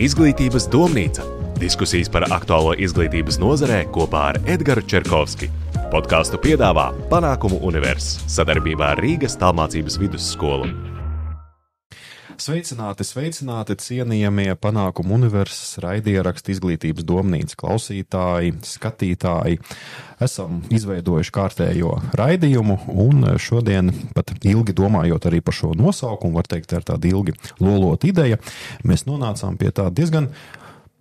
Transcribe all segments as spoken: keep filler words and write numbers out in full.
Izglītības domnīca. Diskusijas par aktuālo izglītības nozarē kopā ar Edgaru Čerkovski. Podkāstu piedāvā Panākumu Univers sadarbībā ar Rīgas tālmācības vidusskolu. Sveicināti, sveicināti, cienījamie Panākumu Universas raidierakstu Izglītības domnīcas klausītāji, skatītāji. Esam izveidojuši kārtējo raidījumu un šodien, pat ilgi domājot arī par šo nosaukumu, var teikt, tā ir tāda ilgi lolota ideja, mēs nonācām pie tā diezgan,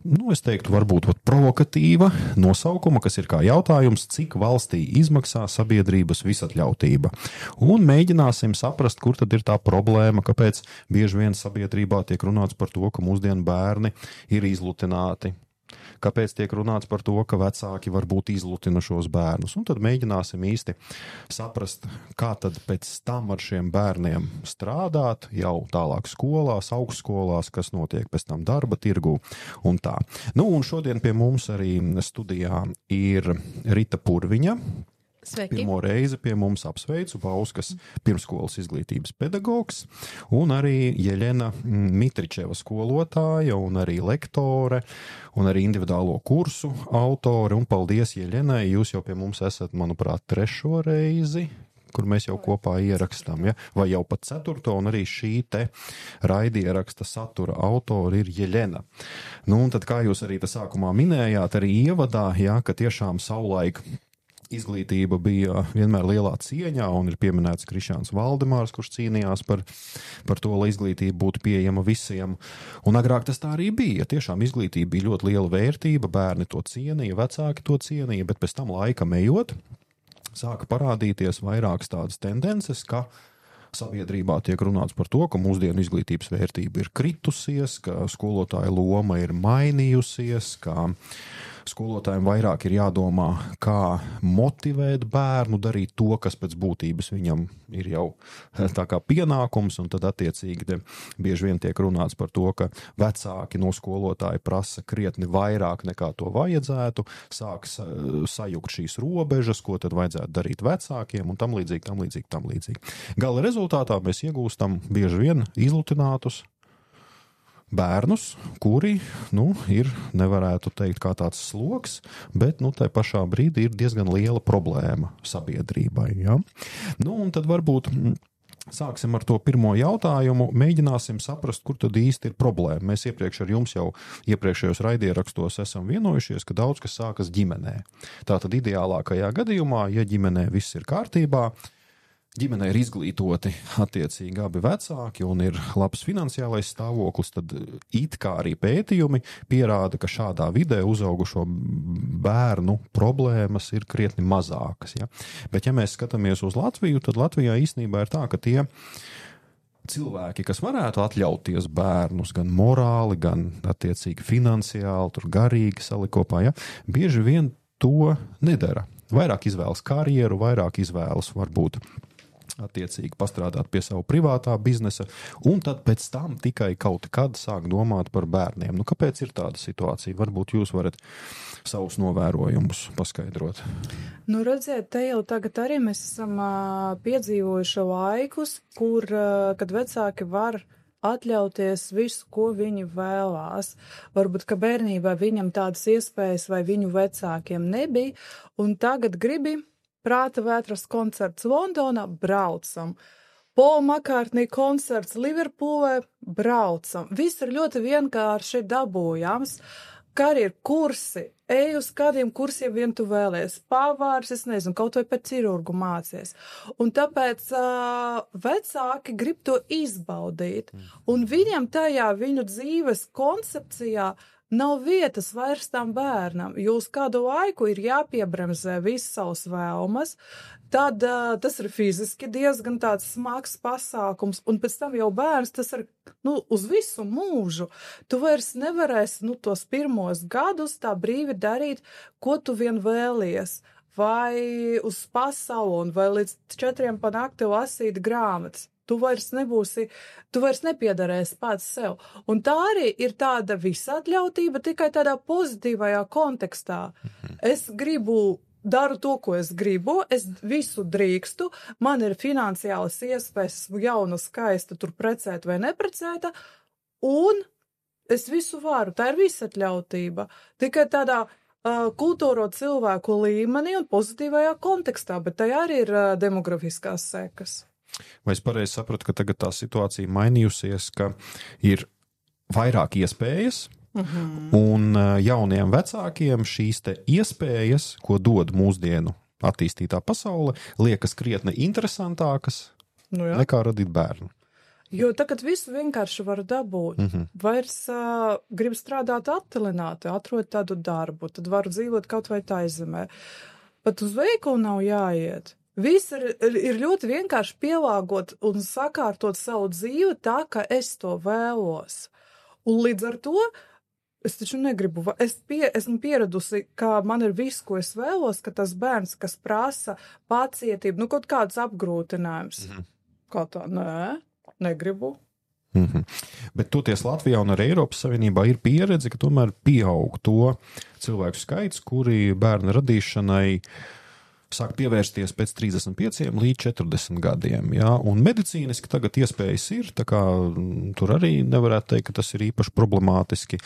nu, es teiktu, varbūt provokatīva nosaukuma, kas ir kā jautājums, cik valstī izmaksā sabiedrības visatļautība. Un mēģināsim saprast, kur tad ir tā problēma, kāpēc bieži vien sabiedrībā tiek runāts par to, ka mūsdienu bērni ir izlutināti. Kāpēc tiek runāts par to, ka vecāki varbūt izlutina šos bērnus. Un tad mēģināsim īsti saprast, kā tad pēc tam ar šiem bērniem strādāt jau tālāk skolās, augstskolās, kas notiek pēc tam darba tirgu un tā. Nu, un šodien pie mums arī studijā ir Rita Purviņa. Sveiki. Pirmo reizi pie mums apsveicu Bauskas pirmskolas izglītības pedagogs un arī Jeļena Mitričeva skolotāja un arī lektore un arī individuālo kursu autore. Un paldies Jeļenai, jūs jau pie mums esat, manuprāt, trešo reizi, kur mēs jau kopā ierakstām, ja? Vai jau pat ceturto, un arī šī te raidieraksta satura autori ir Jeļena. Nu, un tad, kā jūs arī tā sākumā minējāt, arī ievadā, ja, ka tiešām savulaik izglītība bija vienmēr lielā cieņā, un ir pieminēts Krišjāns Valdemārs, kurš cīnījās par, par to, lai izglītība būtu pieejama visiem. Un agrāk tas tā arī bija. Tiešām izglītība bija ļoti liela vērtība, bērni to cienīja, vecāki to cienīja, bet pēc tam laikam ejot, sāka parādīties vairākas tādas tendences, ka sabiedrībā tiek runāts par to, ka mūsdienu izglītības vērtība ir kritusies, ka skolotāja loma ir mainījusies, ka skolotājiem vairāk ir jādomā, kā motivēt bērnu darīt to, kas pēc būtības viņam ir jau tā kā pienākums, un tad attiecīgi te bieži vien tiek runāts par to, ka vecāki no skolotāja prasa krietni vairāk nekā to vajadzētu, sāks sajukt šīs robežas, ko tad vajadzētu darīt vecākiem, un tam līdzīgi, tam līdzīgi, tam līdzīgi. Gala rezultātā mēs iegūstam bieži vien izlutinātus bērnus, kuri, nu, ir, nevarētu teikt, kā tāds sloks, bet, nu, tai pašā brīdī ir diezgan liela problēma sabiedrībai, ja? Nu, un tad varbūt sāksim ar to pirmo jautājumu, mēģināsim saprast, kur tad īsti ir problēma. Mēs iepriekš ar jums jau iepriekšējos raidierakstos esam vienojušies, ka daudz kas sākas ģimenē. Tātad ideālākajā gadījumā, ja ģimenē viss ir kārtībā, ģimenē ir izglītoti attiecīgi abi vecāki un ir labs finansiālais stāvoklis, tad it kā arī pētījumi pierāda, ka šādā vidē uzaugušo bērnu problēmas ir krietni mazākas. Ja? Bet ja mēs skatāmies uz Latviju, tad Latvijā īstenībā ir tā, ka tie cilvēki, kas varētu atļauties bērnus gan morāli, gan attiecīgi finansiāli, tur garīgi salikopā, ja? Bieži vien to nedara. Vairāk izvēlas karjeru, vairāk izvēlas varbūt attiecīgi pastrādāt pie savu privātā biznesa, un tad pēc tam tikai kaut kad sāk domāt par bērniem. Nu, kāpēc ir tāda situācija? Varbūt jūs varat savus novērojumus paskaidrot. Nu, redziet, te jau tagad arī mēs esam uh, piedzīvojuši laikus, kur, uh, kad vecāki var atļauties visu, ko viņi vēlās. Varbūt, ka bērnībā viņam tādas iespējas vai viņu vecākiem nebija, un tagad gribi Prāta vētras koncerts Londonā, braucam. Paul McCartney koncerts Liverpoolē, braucam. Viss ir ļoti vienkārši dabūjams. Karjeru kursi, ej uz kādiem kursiem vien tu vēlies. Pavārs, es nezinu, kaut vai pēc ķirurgu mācies. Un tāpēc uh, vecāki grib to izbaudīt. Un viņam tajā viņu dzīves koncepcijā nav vietas vairs tam bērnam, jo uz kādu laiku ir jāpiebremzē visas savas vēlmas, tad uh, tas ir fiziski diezgan tāds smags pasākums, un pēc tam jau bērns tas ir, nu, uz visu mūžu. Tu vairs nevarēsi, nu, tos pirmos gadus tā brīvi darīt, ko tu vien vēlies, vai uz pasauli, vai līdz četriem pa nakti lasīt grāmatas. Tu vairs nebūsi, tu vairs nepiedarēsi pats sev. Un tā arī ir tāda visatļautība tikai tādā pozitīvajā kontekstā. Es gribu, daru to, ko es gribu, es visu drīkstu, man ir finansiālas iespējas, esmu jauna, skaista, tur precēta vai neprecēta, un es visu varu, tā ir visatļautība. Tikai tādā uh, kultūro cilvēku līmenī un pozitīvajā kontekstā, bet tajā arī ir uh, demografiskās sekas. Vai es pareizi sapratu, ka tagad tā situācija mainījusies, ka ir vairāk iespējas, uh-huh. un uh, jauniem vecākiem šīs te iespējas, ko dod mūsdienu attīstītā pasaule, liekas krietni interesantākas nu jā. Nekā radīt bērnu. Jo tagad visu vienkārši var dabūt. Mm-hmm. Vairs uh, grib strādāt attilināti, atrod tādu darbu, tad varu dzīvot kaut vai taizemē. Pat uz veikalu nav jāiet. Viss ir, ir ļoti vienkārši pielāgot un sakārtot savu dzīvi tā, ka es to vēlos. Un līdz ar to es taču negribu, es pie, esmu pieradusi, ka man ir viss, ko es vēlos, ka tas bērns, kas prasa pacietību, nu kaut kāds apgrūtinājums. Mm-hmm. Kā tā, nē, negribu. Mm-hmm. Bet toties Latvijā un arī Eiropas Savienībā ir pieredze, ka tomēr pieaug to cilvēku skaits, kuri bērna radīšanai sāk pievērsties pēc trīsdesmit pieciem līdz četrdesmit gadiem. Ja? Un medicīniski tagad iespējas ir, tā kā tur arī nevarētu teikt, ka tas ir īpaši problemātiski.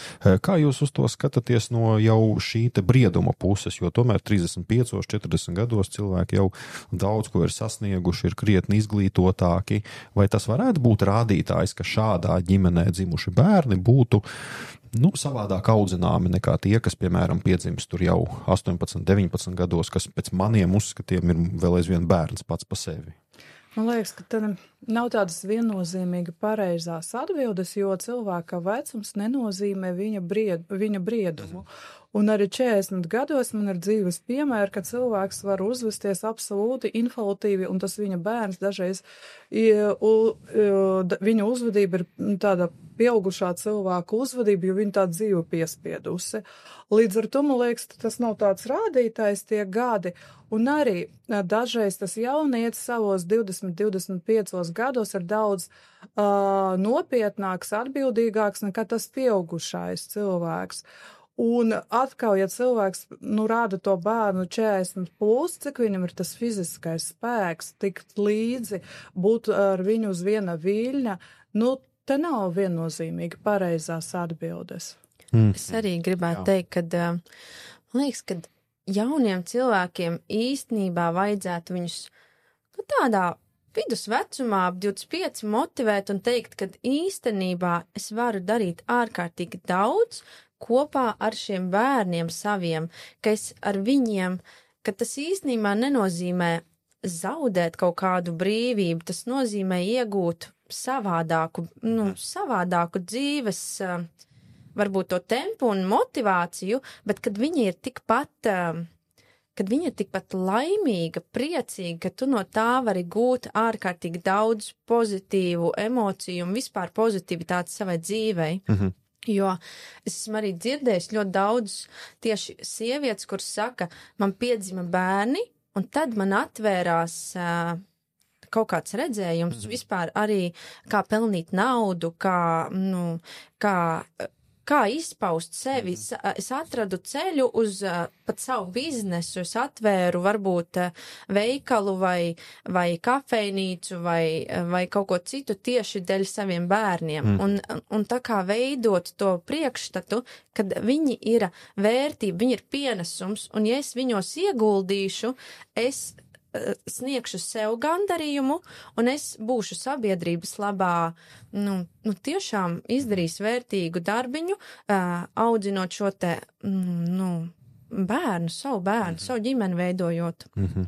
Kā jūs uz to skatāties no jau šī te brieduma puses, jo tomēr trīsdesmit piecos, četrdesmit gados cilvēki jau daudz ko ir sasnieguši, ir krietni izglītotāki. Vai tas varētu būt rādītājs, ka šādā ģimenē dzimuši bērni būtu nu, savādāk audzināmi nekā tie, kas, piemēram, piedzimst tur jau astoņpadsmit, deviņpadsmit gados, kas pēc maniem uzskatiem ir vēl aizvien bērns pats pa sevi? Man liekas, ka tad nav tādas viennozīmīgi pareizās atbildes, jo cilvēka vecums nenozīmē viņa, bried, viņa briedumu. Un arī četrdesmit gados man ir dzīves piemēri, ka cilvēks var uzvesties absolūti inflatīvi, un tas viņa bērns dažreiz, viņa uzvedība ir tāda pieaugušā cilvēka uzvedība, jo viņa tā dzīve piespiedusi. Līdz ar to, man liekas, tas nav tāds rādītājs tie gadi, un arī dažreiz tas jaunietis savos divdesmit, divdesmit piecos gados ir daudz uh, nopietnāks, atbildīgāks nekā tas pieaugušais cilvēks. Un atkal, ja cilvēks, nu, rāda to bērnu četrdesmit plus, cik viņam ir tas fiziskais spēks, tikt līdzi, būt ar viņu uz viena viļņa, nu, te nav viennozīmīgi pareizās atbildes. Mm. Es arī gribētu Jā. teikt, ka, man liekas, ka jauniem cilvēkiem īstenībā vajadzētu viņus, nu, tādā vidusvecumā ap divdesmit pieci motivēt un teikt, ka īstenībā es varu darīt ārkārtīgi daudz, kopā ar šiem bērniem saviem, ka es ar viņiem, ka tas īstenībā nenozīmē zaudēt kaut kādu brīvību, tas nozīmē iegūt savādāku, nu, savādāku dzīves, varbūt to tempu un motivāciju, bet kad viņi ir tikpat, kad viņi ir tikpat laimīga, priecīga, ka tu no tā vari gūt ārkārtīgi daudz pozitīvu emociju un vispār pozitivitāti savai dzīvei. Mhm. Jo es esmu arī dzirdējis ļoti daudz tieši sievietes, kuras saka, man piedzima bērni, un tad man atvērās uh, kaut kāds redzējums mm. vispār arī, kā pelnīt naudu, kā, nu, kā, kā izpaust sevi. Mm. Es atradu ceļu uz uh, pat savu biznesu, es atvēru varbūt uh, veikalu vai, vai kafejnīcu vai, vai kaut ko citu tieši dēļ saviem bērniem. Mm. Un, un tā kā veidot to priekšstatu, kad viņi ir vērtība, viņi ir pienesums, un ja es viņos ieguldīšu, es sniegšu sev gandarījumu, un es būšu sabiedrības labā, nu, nu tiešām izdarīs vērtīgu darbiņu, uh, audzinot šo te, nu, bērnu, savu bērnu, savu ģimeni veidojot. Mm-hmm.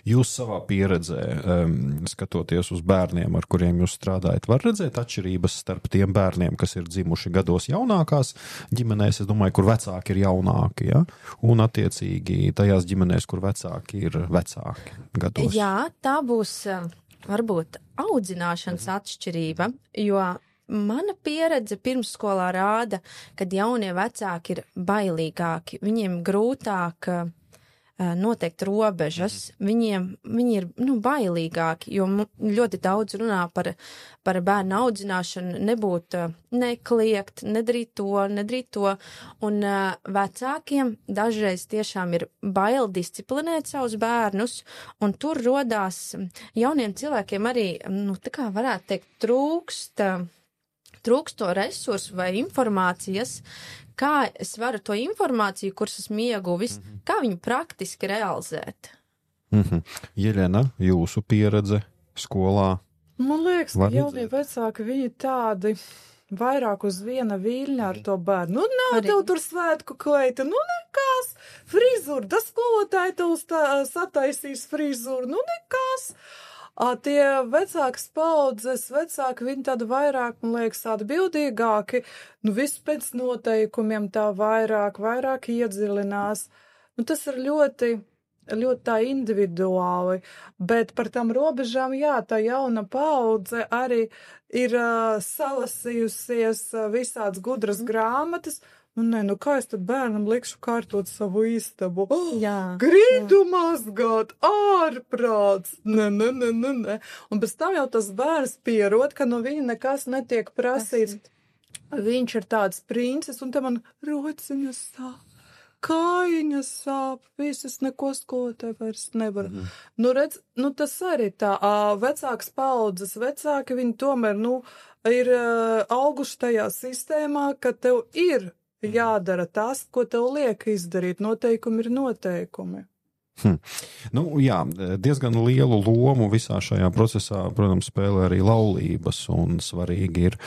Jūs savā pieredzē, um, skatoties uz bērniem, ar kuriem jūs strādājat, var redzēt atšķirības starp tiem bērniem, kas ir dzimuši gados jaunākās ģimenēs, es domāju, kur vecāki ir jaunāki, ja? Un attiecīgi tajās ģimenēs, kur vecāki ir vecāki gados. Jā, tā būs varbūt audzināšanas atšķirība, jo mana pieredze pirmsskolā rāda, kad jaunie vecāki ir bailīgāki, viņiem grūtāk uh, noteikt robežas, viņiem, viņi ir, nu, bailīgāki, jo ļoti daudz runā par, par bērnu audzināšanu, nebūt, uh, nekliegt, nedarīt to, nedarīt to, un uh, vecākiem dažreiz tiešām ir bail disciplinēt savus bērnus, un tur rodās jauniem cilvēkiem arī, nu, tā kā varētu teikt, trūkst, uh, trūkst to resursu vai informācijas, kā es varu to informāciju, kuras esmu ieguvis, mm-hmm. kā viņu praktiski realizēt. Mm-hmm. Jeļena, jūsu pieredze skolā? Man liekas, ka jaunie vecāki, viņi tādi vairāk uz viena viļņa ar to bērnu. Nu, nav Arī. Tev tur svētku kleita, nu nekās, frizūra, tas skolotāji tev sataisīs frizūru, nu nekās. A, tie vecākas paudzes, vecāki, viņi tādi vairāk, man liekas, tādi bildīgāki, nu viss pēc noteikumiem tā vairāk, vairāk iedziļinās. Nu, tas ir ļoti, ļoti tā individuāli, bet par tām robežām, jā, tā jauna paudze arī ir uh, salasījusies uh, visāds gudras grāmatas. Nu, nē, nu kā es tad bērnam likšu kārtot savu istabu? Oh, jā, grīdu jā. Mazgāt, ārprāts, ne, ne, ne, ne, ne. Un pēc tam jau tas bērns pierod, ka no viņa nekas netiek prasīts. Viņš ir tāds princis, un te man rociņas sāp, kājiņas sāp, visas neko skolotāji vairs nevar. Mm. Nu, redz, nu tas arī tā, vecāks paudzes, vecāki, viņi tomēr, nu, ir auguši tajā sistēmā, ka tev ir jādara tas, ko tev liek izdarīt. Noteikumi ir noteikumi. Hm. Nu, jā, diezgan lielu lomu visā šajā procesā, protams, spēlē arī laulības, un svarīgi ir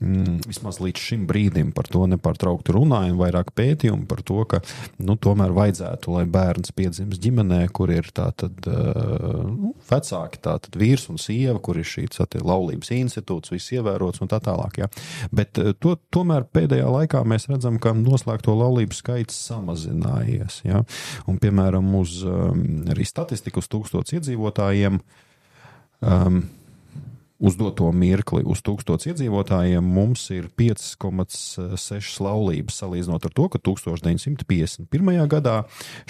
mm, vismaz līdz šim brīdim par to nepārtraukti runājam, vairāk pētījumu par to, ka, nu, tomēr vajadzētu, lai bērns piedzims ģimenē, kur ir tātad uh, nu, vecāki, tātad vīrs un sieva, kur ir šī tātad laulības institūts, viss ievērots un tā tālāk, jā. Bet uh, to, tomēr pēdējā laikā mēs redzam, ka noslēgto laulību skaits samazinājies, jā. Un, piemēram, uz arī statistiku uz tūkstots iedzīvotājiem, um, uz doto mirkli uz tūkstots iedzīvotājiem mums ir pieci komats seši laulības, salīdzinot ar to, ka tūkstoš deviņsimt piecdesmit pirmajā gadā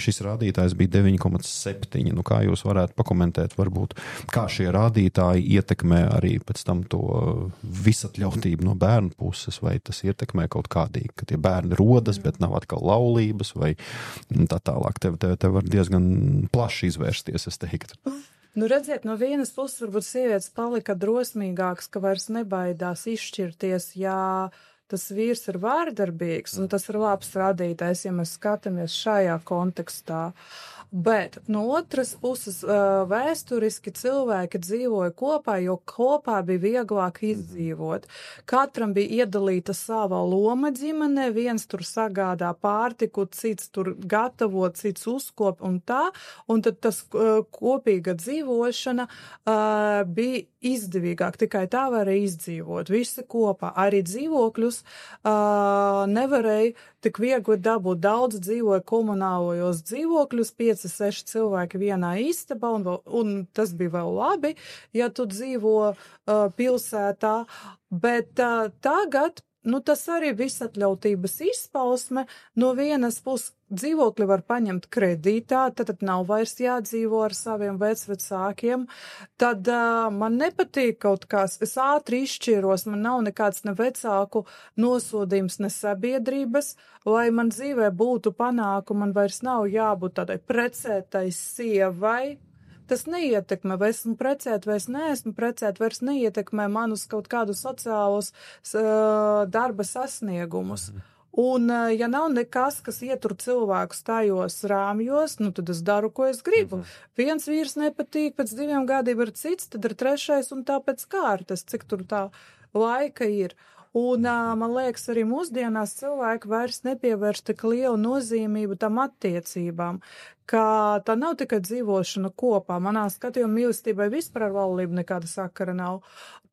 šis rādītājs bija deviņi komats septiņi. Nu, kā jūs varētu pakomentēt, varbūt, kā šie rādītāji ietekmē arī pēc tam to visatļautību no bērnu puses, vai tas ietekmē kaut kādīgi, ka tie bērni rodas, bet nav atkal laulības, vai tā tālāk. Te, te, te var diezgan plaši izvērsties, es teiktu. Nu, redziet, no vienas puses varbūt sievietes palika drosmīgāks, ka vairs nebaidās izšķirties, ja tas vīrs ir vārdarbīgs, un tas ir labs rādītājs, ja mēs skatāmies šajā kontekstā. Bet no otras puses vēsturiski cilvēki dzīvoja kopā, jo kopā bija vieglāk izdzīvot. Katram bija iedalīta sava loma ģimenē, viens tur sagādā pārtiku, cits tur gatavo, cits uzkop un tā, un tad tas kopīga dzīvošana uh, bija izdevīgāk, tikai tā varēja izdzīvot, visi kopā. Arī dzīvokļus uh, nevarēja tik viegli dabūt. Daudz dzīvoja komunālajos dzīvokļus, pieci, seši cilvēki vienā istabā, un, un tas bija vēl labi, ja tu dzīvo uh, pilsētā, bet uh, tagad, nu tas arī visatļautības izpausme, no vienas puses dzīvokļi var paņemt kredītā, tad, tad nav vairs jādzīvo ar saviem vecvecākiem, tad uh, man nepatīk kaut kas, es ātri izšķiros, man nav nekāds ne vecāku nosodījums, ne sabiedrības, lai man dzīvē būtu panākumi, man vairs nav jābūt tādai precētai sievai. Tas neietekmē, vai esmu precēta, vai es neesmu precēta, vairs neietekmē manus kaut kādus sociālus uh, darba sasniegumus. Un, uh, ja nav nekas, kas ietur cilvēkus tajos rāmjos, nu, tad es daru, ko es gribu. Mm-hmm. Viens vīrs nepatīk, pēc diviem gadiem ir cits, tad ir trešais un tā pēc kārtas, cik tur tā laika ir. Un, man liekas, arī mūsdienās cilvēki vairs nepievērš tik lielu nozīmību tam attiecībām, ka tā nav tikai dzīvošana kopā. Manā skatījumā mīlestībai vispār ar laulību nekāda sakara nav.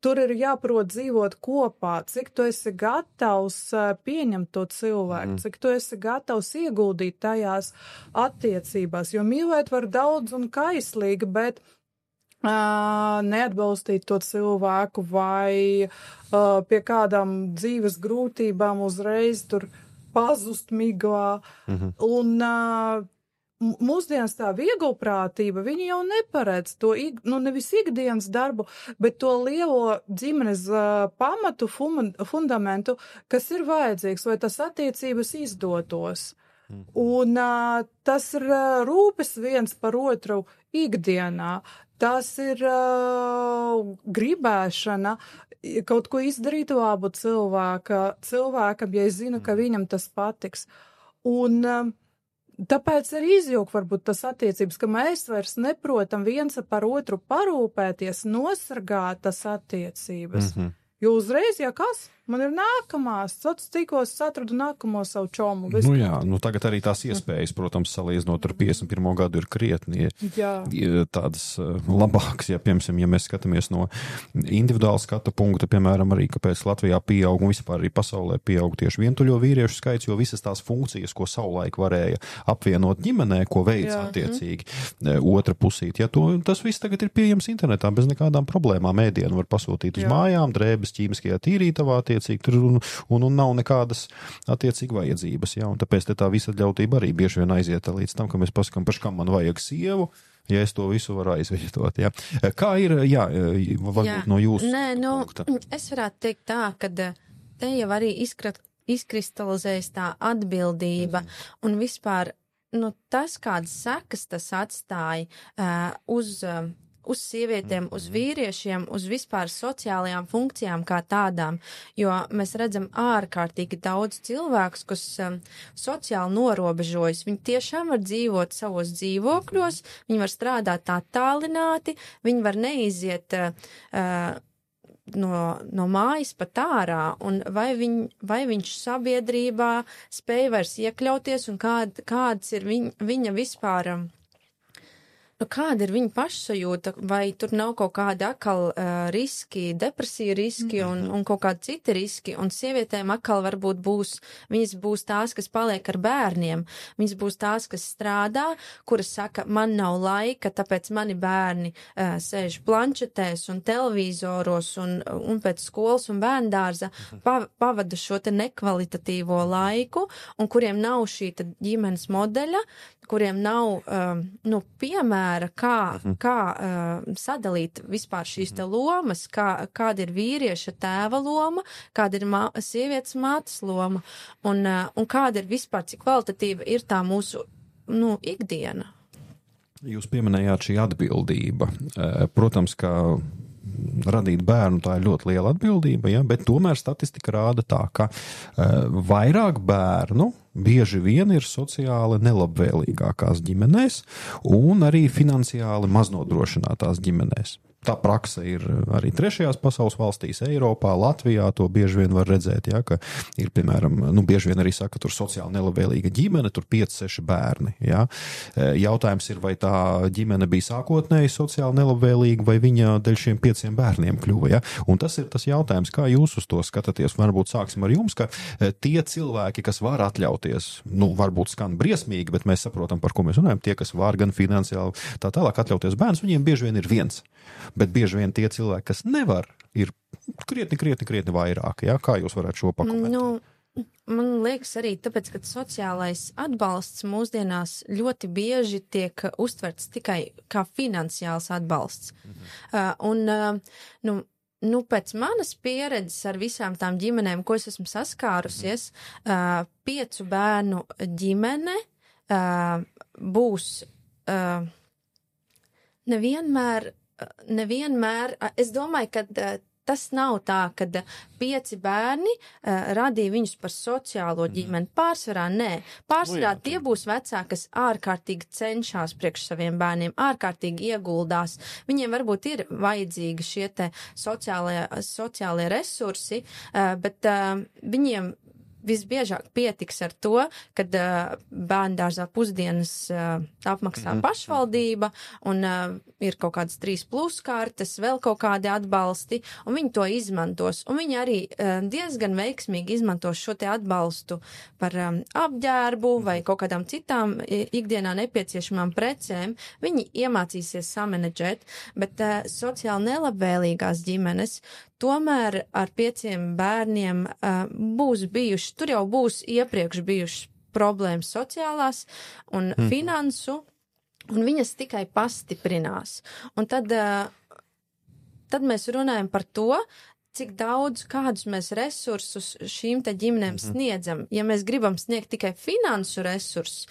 Tur ir jāprot dzīvot kopā, cik tu esi gatavs pieņemt to cilvēku, mm. cik tu esi gatavs ieguldīt tajās attiecībās, jo mīlēt var daudz un kaislīgi, bet Uh, neatbalstīt to cilvēku vai uh, pie kādām dzīves grūtībām uzreiz tur pazust miglā. Mm-hmm. Un uh, mūsdienas tā vieglprātība, viņi jau neparedz to, nu nevis ikdienas darbu, bet to lielo ģimenes uh, pamatu, fum, fundamentu, kas ir vajadzīgs, lai tas attiecības izdotos. Mm-hmm. Un uh, tas ir uh, rūpes viens par otru ikdienā. Tas ir uh, gribēšana kaut ko izdarīt labu cilvēka, cilvēkam, ja es zinu, ka viņam tas patiks. Un um, tāpēc arī izjūg varbūt tas attiecības, ka mēs vairs neprotam viens par otru parūpēties, nosargāt tas attiecības. Mm-hmm. Jo uzreiz, ja kas, man ir nākamās, sots tikos atradu nākamo savu čomu. Nu jā, nu tagad arī tās iespējas, protams, salīdzinot ar piecdesmit pirmo gadu ir krietni jā. Tādas labākas, ja, piemēram, ja mēs skatāmies no individuāla skata punkta, piemēram, arī, kāpēc Latvijā pieaug un vispār arī pasaulē pieaug tieši vientuļo vīriešu skaits, jo visas tās funkcijas, ko savulaik varēja apvienot ģimenē, ko veic jā. Attiecīgi otra pusīt, ja to, tas viss tagad ir pieejams internetā bez nekādām problēmām, ēdienu var pasūtīt uz jā. Mājām, drēbes ķīmiskajā tīrītavā attiecīgi tur un, un, un nav nekādas attiecīgi vajadzības, jā, un tāpēc te tā visatļautība arī bieži vien aiziet līdz tam, ka mēs pasakām, paši, kam man vajag sievu, ja es to visu varu aizvietot, jā. Kā ir, jā, varbūt jā. No jūsu Nē, nu, punkta? Es varētu teikt tā, ka te jau arī izkrat, izkristalizējas tā atbildība mm. un vispār, nu, tas, kādas sekas tas atstāja uh, uz... Uh, uz sievietēm, uz vīriešiem, uz vispār sociālajām funkcijām kā tādām, jo mēs redzam ārkārtīgi daudz cilvēkus, kas um, sociāli norobežojas. Viņi tiešām var dzīvot savos dzīvokļos, viņi var strādāt tā tālināti, viņi var neiziet uh, no, no mājas pat ārā, un vai, viņ, vai viņš sabiedrībā spēj vairs iekļauties, un kād, kāds ir viņ, viņa vispār... Um, Nu, kāda ir viņa pašsajūta, vai tur nav kaut kādi akal uh, riski, depresija riski un, un kaut kādi citi riski, un sievietēm akal varbūt būs, viņas būs tās, kas paliek ar bērniem, viņas būs tās, kas strādā, kuras saka, man nav laika, tāpēc mani bērni uh, sēž planšetēs un televizoros un, un pēc skolas un bērndārza pa, pavada šo te nekvalitatīvo laiku, un kuriem nav šī ģimenes modeļa, kuriem nav, um, nu, piemēra, kā, kā uh, sadalīt vispār šīs te lomas, kā, kāda ir vīrieša tēva loma, kāda ir mā, sievietes mātes loma, un, uh, un kāda ir vispār, cik kvalitatīva ir tā mūsu, nu, ikdiena. Jūs pieminējāt šī atbildība. Protams, ka radīt bērnu, tā ir ļoti liela atbildība, ja? Bet tomēr statistika rāda tā, ka uh, vairāk bērnu bieži vien ir sociāli nelabvēlīgākās ģimenēs un arī finansiāli maznodrošinātās ģimenēs. Tā praksa ir arī trešajās pasaules valstīs, Eiropā, Latvijā, to bieži vien var redzēt, ja, ka ir, piemēram, nu, bieži vien arī saka, tur sociāli nelabvēlīga ģimene, tur pieci, seši bērni, ja. Jautājums ir, vai tā ģimene bija sākotnēji sociāli nelabvēlīga, vai viņa dēļ šiem pieciem bērniem kļuva, ja. Un tas ir tas jautājums, kā jūs uz to skatāties, varbūt sāksim ar jums, ka tie cilvēki, kas var atļauties, nu, varbūt skan briesmīgi, bet mēs saprotam, par ko mēs runājam, tie, kas var gan finansiāli tā tālāk atļauties bērns, viņiem bieži vien ir viens. Bet bieži vien tie cilvēki, kas nevar, ir krietni, krietni, krietni vairāk. Ja? Kā jūs varētu šo pakomentēt? Nu, man liekas arī tāpēc, ka sociālais atbalsts mūsdienās ļoti bieži tiek uztverts tikai kā finansiāls atbalsts. Mhm. Uh, un, uh, nu, nu, pēc manas pieredzes ar visām tām ģimenēm, ko es esmu saskārusies, uh, piecu bērnu ģimene uh, būs uh, nevienmēr Nevienmēr, es domāju, ka tas nav tā, ka pieci bērni uh, radīja viņus par sociālo ģimeni. Pārsvarā nē. Pārsvarā tie būs vecāki, kas ārkārtīgi cenšas priekš saviem bērniem, ārkārtīgi ieguldās. Viņiem varbūt ir vajadzīgi šie te sociālie, sociālie resursi, uh, bet uh, viņiem visbiežāk pietiks ar to, kad uh, bērndārzā pusdienas uh, apmaksā mm-hmm. pašvaldība un uh, ir kaut kādas trīs plus kartes, vēl kaut kādi atbalsti, un viņi to izmantos. Un viņi arī uh, diezgan veiksmīgi izmantos šo te atbalstu par um, apģērbu vai kaut kādām citām ikdienā nepieciešamām precēm. Viņi iemācīsies samanedžēt, bet uh, sociāli nelabvēlīgās ģimenes tomēr ar pieciem bērniem uh, būs bijuši, tur jau būs iepriekš bijušas problēmas sociālās un mm. finansu, un viņas tikai pastiprinās. Un tad, uh, tad mēs runājam par to, cik daudz, kādus mēs resursus šīm te ģimenēm mm-hmm. sniedzam. Ja mēs gribam sniegt tikai finansu resursus,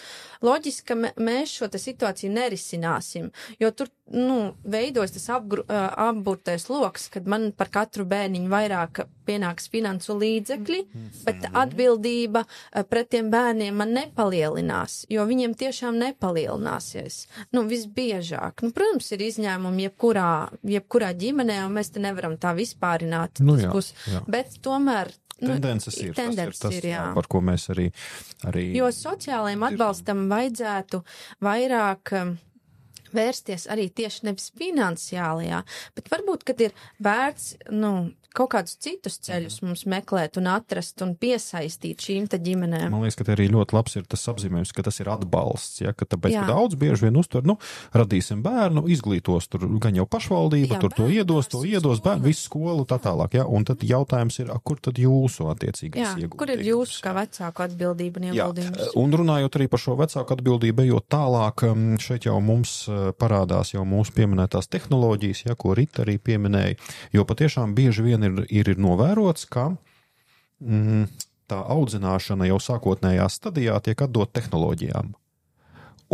loģiski, ka mēs šo te situāciju nerisināsim, jo tur, nu, veidojas tas apgru, apburtais loks, kad man par katru bērniņu vairāk pienāks finansu līdzekļi, mm-hmm. bet atbildība pret tiem bērniem man nepalielinās, jo viņiem tiešām nepalielināsies. Nu, visbiežāk. Nu, protams, ir izņēmumi jebkurā, jebkurā ģimenē, un mēs te nevaram tā vispārināt. Nu, jā, pus, jā. Bet tomēr tendences ir, tendences tas ir tas, ir, jā. par ko mēs arī... arī jo sociālajiem atbalstam vajadzētu vairāk um, vērsties arī tieši nevis finansiālajā, bet varbūt, kad ir vērts, nu, kaut kādus citus ceļus mums meklēt un atrast un piesaistīt šīm te ģimenēm. Man liekas, ka te arī ļoti labs ir tas apzīmējums, ka tas ir atbalsts, ja, ka tāpēc, jā. ka daudz bieži vien uztver, nu, radīsim bērnu, izglītos, tur gan jau pašvaldība, jā, tur to iedos, to iedos, bērnu, visu skolu, tā tālāk, ja, un tad jautājums ir, kur tad jūsu attiecīgais ieguldījums? Kur ir jūsu kā vecāku atbildība un ieguldījums? Jā, un runājot arī par šo vecāku atbildību, ejot tālāk, šeit jau mums parādās jau mūsu pieminētās tehnoloģijas, ja, ko Rita arī pieminēja, jo patiešām bieži vien ir, ir, ir novērots, ka mm, tā audzināšana jau sākotnējā stadijā tiek atdot tehnoloģijām.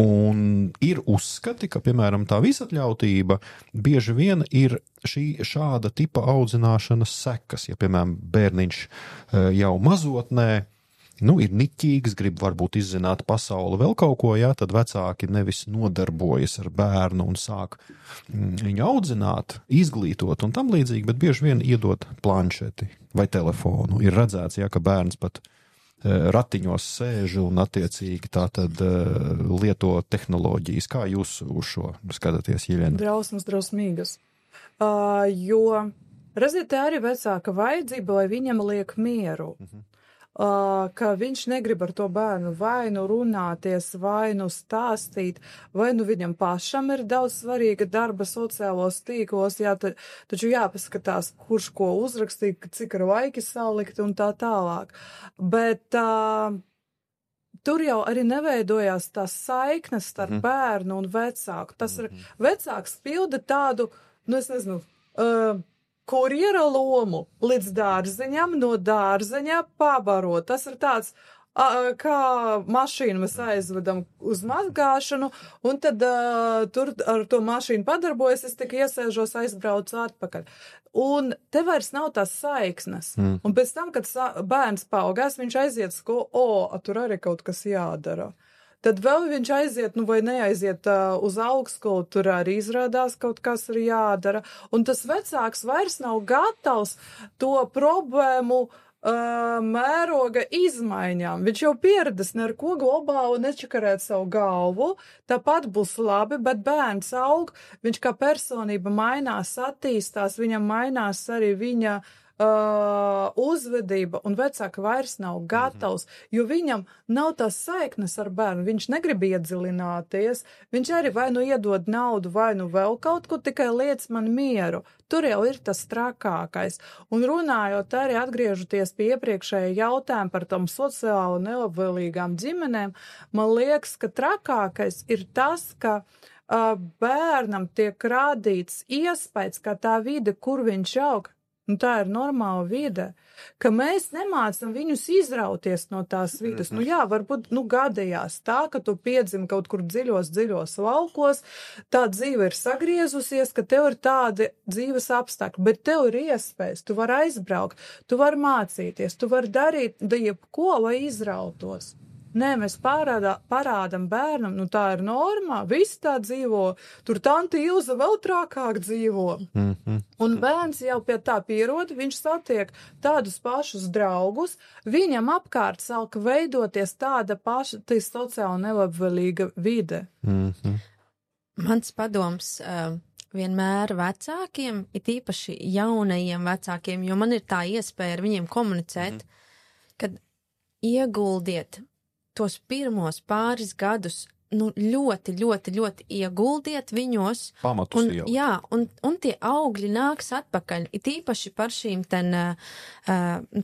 Un ir uzskati, ka, piemēram, tā visatļautība bieži vien ir šī šāda tipa audzināšanas sekas, ja, piemēram, bērniņš jau mazotnē, nu, ir niķīgs, grib varbūt izzināt pasauli vēl kaut ko, jā, tad vecāki nevis nodarbojas ar bērnu un sāk viņu audzināt, izglītot un tam līdzīgi, bet bieži vien iedot planšeti vai telefonu. Ir redzēts, jā, ka bērns pat ratiņos sēž un attiecīgi tā tad lieto tehnoloģijas. Kā jūs uz šo skatāties, Jeļena? Drausmas, drausmīgas. Uh, jo, redziet, tā arī vecāka vajadzība, lai viņam liek mieru. Uh-huh. Uh, ka viņš negrib ar to bērnu vai nu runāties, vai nu stāstīt, vai nu viņam pašam ir daudz svarīga darba sociālos tīklos, jā, ta, taču jāpaskatās, kurš ko uzrakstīt, cik ar laiki salikt un tā tālāk. Bet uh, tur jau arī neveidojās tās saiknes starp mm. bērnu un vecāku. Tas ir, vecāks pilda tādu, nu es nezinu, uh, kurjera lomu līdz dārzeņam, no dārzeņa pabarot. Tas ir tāds, a, kā mašīnu mēs aizvedam uz mazgāšanu, un tad a, tur ar to mašīnu padarbojas, es tik iesēžos, aizbraucu atpakaļ. Un te vairs nav tās saiksnes. Mm. Un pēc tam, kad sa, bērns paaugās, viņš aiziet skolu, o, tur arī kaut kas jādara. Tad vēl viņš aiziet, nu vai neaiziet uh, uz augstskolu, tur arī izrādās kaut kas ir jādara. Un tas vecāks vairs nav gatavs to problēmu uh, mēroga izmaiņām. Viņš jau pieredzes neko globāli nečakarēt savu galvu, tāpat būs labi, bet bērns aug, viņš kā personība mainās, attīstās, viņam mainās arī viņa Uh, uzvedība, un vecāka vairs nav gatavs, jo viņam nav tās saiknes ar bērnu, viņš negrib iedziļināties, viņš arī vai nu iedod naudu, vai nu vēl kaut ko, tikai liec man mieru. Tur jau ir tas trakākais. Un runājot arī atgriežoties pie iepriekšējā jautājuma par tom sociāli nelabvēlīgām ģimenēm, man liekas, ka trakākais ir tas, ka uh, bērnam tiek rādīts iespējas, ka tā vide, kur viņš aug, un tā ir normāla vide, ka mēs nemācam viņus izrauties no tās vides. Nu jā, varbūt, nu gadījās tā, ka tu piedzimi kaut kur dziļos, dziļos laukos, tā dzīve ir sagriezusies, ka tev ir tādi dzīves apstākļi, bet tev ir iespējas, tu vari aizbraukt, tu vari mācīties, tu vari darīt jebko, lai izrautos. Nē, mēs parādā, parādam bērnam, nu tā ir normā, visi tā dzīvo, tur tanti Ilza vēl trakāk dzīvo. Mm-hmm. Un bērns jau pie tā pierod, viņš satiek tādus pašus draugus, viņam apkārt sāk veidoties tāda paša, tā sociāli nelabvēlīga vide. Mm-hmm. Mans padoms uh, vienmēr vecākiem, it īpaši jaunajiem vecākiem, jo man ir tā iespēja ar viņiem komunicēt, mm-hmm. kad ieguldiet tos pirmos pāris gadus, nu, ļoti, ļoti, ļoti ieguldiet viņos. Pamatus un, jau. Jā, un, un tie augļi nāks atpakaļ. It īpaši par šīm ten uh,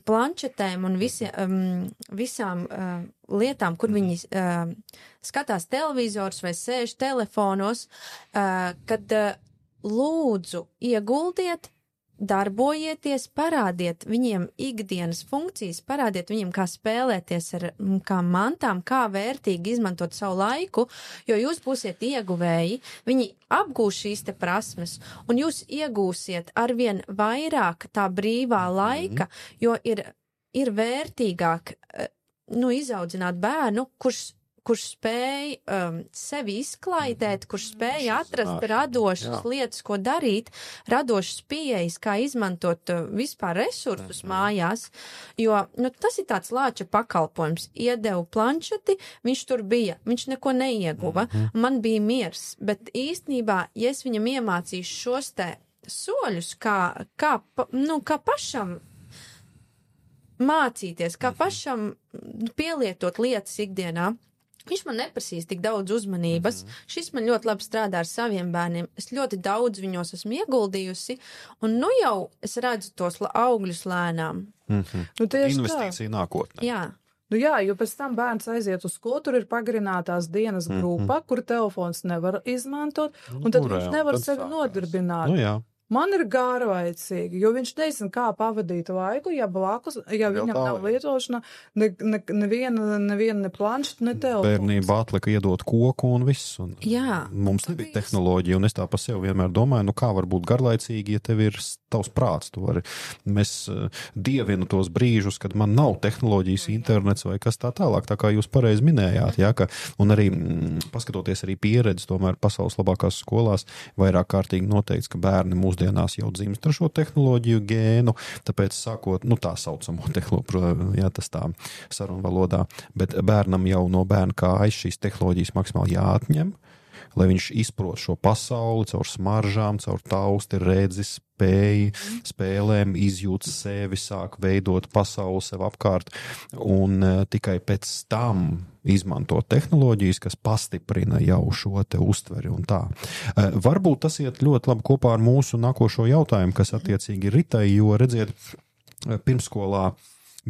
planšetēm un visi, um, visām uh, lietām, kur viņi uh, skatās televizors vai sēž telefonos, uh, kad uh, lūdzu ieguldiet darbojieties, parādiet viņiem ikdienas funkcijas, parādiet viņiem, kā spēlēties ar kā mantām, kā vērtīgi izmantot savu laiku, jo jūs būsiet ieguvēji, viņi apgūs šīs te prasmes, un jūs iegūsiet arvien vairāk tā brīvā laika, jo ir, ir vērtīgāk, nu, izaudzināt bērnu, kurš kurš spēj um, sevi izklaidēt, kurš spēj atrast radošas Jā. lietas, ko darīt, radošas pieejas, kā izmantot uh, vispār resursus mm-hmm. mājās, jo nu, tas ir tāds lāča pakalpojums. Iedevu planšeti, viņš tur bija, viņš neko neieguva, mm-hmm. man bija miers, bet īstenībā, ja es viņam iemācīšu šos te soļus, kā, kā, nu, kā pašam mācīties, kā pašam pielietot lietas ikdienā, viņš man neprasīs tik daudz uzmanības. Mm-hmm. Šis man ļoti labi strādā ar saviem bērniem. Es ļoti daudz viņos esmu ieguldījusi, un nu jau es redzu tos augļus lēnām. Mm-hmm. Nu, Investīcija nākotnē. Jā. Nu jā, jo pēc tam bērns aiziet uz skolu, tur ir pagarinātās dienas grupa, mm-hmm. kur telefons nevar izmantot, un tad nu, viņš nevar sevi sākās. nodarbināt. Nu jā. Man ir garlaicīgi, jo viņš nezina, kā pavadīt laiku, ja blakus, ja viņam tā, nav lietošana, ne, ne, neviena, neviena ne planšeta, ne telefons. Bērnībā atlika iedot koku un viss. Un Jā. Mums nebija tehnoloģija, un es tā pa sevi vienmēr domāju, nu kā var būt garlaicīgi, ja tev ir tavs prāts. Tu vari, mēs uh, dievinu tos brīžus, kad man nav tehnoloģijas, internets vai kas tā tālāk, tā kā jūs pareizi minējāt, jā, ka, un arī mm, paskatoties arī pieredzi, tomēr pasaules labākās skolās vairāk kārtīgi noteikts, ka bērni mūs dienās jau dzimst ar šo tehnoloģiju gēnu, tāpēc sākot, nu tā saucamo tehnoloģiju, jā, tas tā sarunvalodā, bet bērnam jau no bērna kājas šīs tehnoloģijas maksimāli jāatņem, lai viņš izprot šo pasauli caur smaržām, caur tausti, redzi, spēju, spēlēm, izjūt sevi, sāk veidot pasauli sev apkārt, un uh, tikai pēc tam izmantot tehnoloģijas, kas pastiprina jau šo te uztveri un tā. Uh, varbūt tas iet ļoti labi kopā ar mūsu nākošo jautājumu, kas attiecīgi ir Ritai, jo redziet, pirmskolā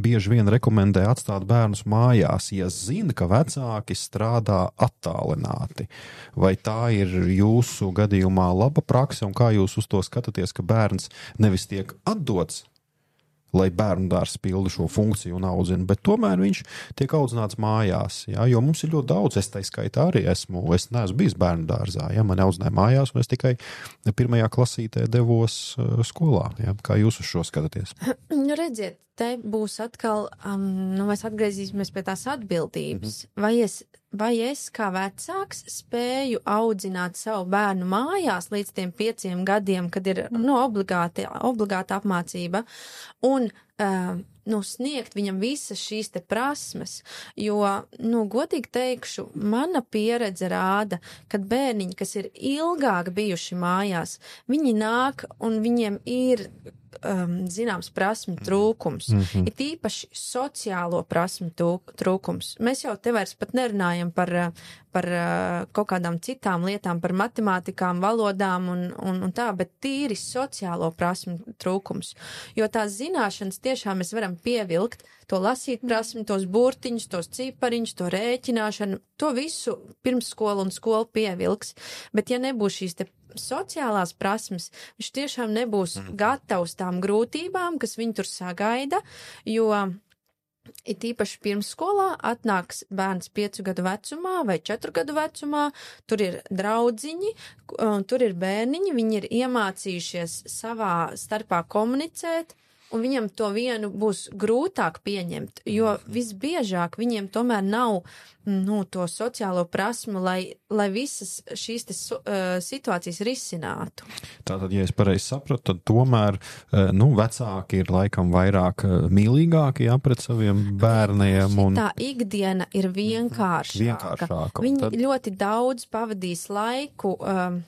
bieži vien rekomendē atstāt bērnus mājās, ja zina, ka vecāki strādā attālināti. Vai tā ir jūsu gadījumā laba prakse, un kā jūs uz to skatāties, ka bērns nevis tiek atdots, lai bērnu dārs pilda šo funkciju un audzina, bet tomēr viņš tiek audzināts mājās, jā, jo mums ir ļoti daudz, es tai skaitā arī esmu, es neesmu bijis bērnu dārzā, jā, mani audzināja mājās, un es tikai pirmajā klasītē devos uh, skolā, jā, kā jūs uz šo skatāties? Nu, redziet, te būs atkal, um, nu, mēs atgriezīsimies pie tās atbildības, mm-hmm. vai es Vai es kā vecāks spēju audzināt savu bērnu mājās līdz tiem pieciem gadiem, kad ir nu, obligāti, obligāta apmācība, un uh, nu, sniegt viņam visas šīs te prasmes, jo, nu, godīgi teikšu, mana pieredze rāda, kad bērniņi, kas ir ilgāk bijuši mājās, viņi nāk un viņiem ir um, zināms prasmu trūkums, mm-hmm. ir tīpaši sociālo prasmu trūkums. Mēs jau te vairs pat nerunājam par, par kaut kādām citām lietām, par matemātikām, valodām un, un, un tā, bet tīri sociālo prasmu trūkums. Jo tās zināšanas tiešām mēs varam pievilkt, to lasīt prasmi, tos burtiņus, tos cipariņus, to rēķināšanu, to visu pirms skola un skola pievilks. Bet ja nebūs šīs te sociālās prasmes, viņš tiešām nebūs gatavs tām grūtībām, kas viņu tur sagaida, jo ir tīpaši pirmsskolā atnāks bērns piecu gadu vecumā vai četru gadu vecumā, tur ir draudziņi, tur ir bērniņi, viņi ir iemācījušies savā starpā komunicēt, un viņam to vienu būs grūtāk pieņemt, jo visbiežāk viņiem tomēr nav nu, to sociālo prasmu, lai, lai visas šīs te, uh, situācijas risinātu. Tātad, ja es pareizi sapratu, tad tomēr uh, nu, vecāki ir laikam vairāk uh, mīlīgāki jā, pret saviem bērniem. Un... Tā ikdiena ir vienkāršāka. vienkāršāka Viņi tad... ļoti daudz pavadīs laiku um,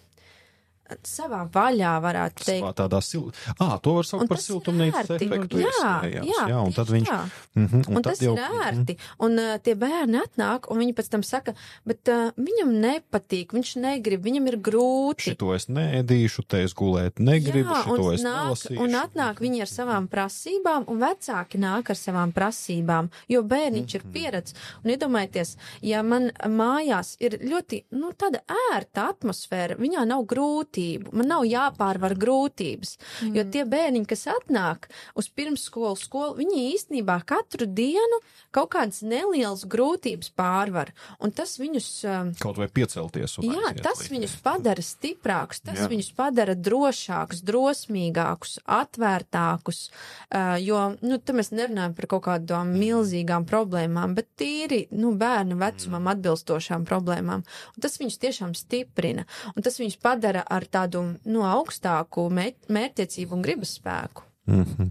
savā vaļā, varētu teikt. Savā tādā sil... Ā, to var saukt par siltumnīcas efektu. Jā, jā, jā, un tad viņš... Mm-hmm, un, un tas jau... ir ērti. Un uh, tie bērni atnāk, un viņi pēc tam saka, bet uh, viņam nepatīk, viņš negrib, viņam ir grūti. Šito es neēdīšu, te es gulēt negribu, jā, šito es nāk, nelasīšu. Un atnāk viņi ar savām prasībām, un vecāki nāk ar savām prasībām, jo bērniņš mm-hmm. ir pieredz. Un iedomājieties, ja man mājās ir ļoti, nu, tāda ērta atmosfēra, viņā nav grūti, grūtību, man nav jāpārvar grūtības, mm. jo tie bērniņi, kas atnāk uz pirmsskolu skolu, viņi īstenībā katru dienu kaut kādas nelielas grūtības pārvar, un tas viņus... Kaut vai piecelties. Un jā, tas viņus padara stiprākus, tas jā. Viņus padara drošākus, drosmīgākus, atvērtākus, jo, nu, te mēs nerunājam par kaut kādām milzīgām problēmām, bet tīri, nu, bērnu vecumam atbilstošām problēmām, un tas viņus tiešām stiprina, un tas viņus padara ar tādu, nu, augstāku mērķtiecību un gribas spēku. Mm-hmm.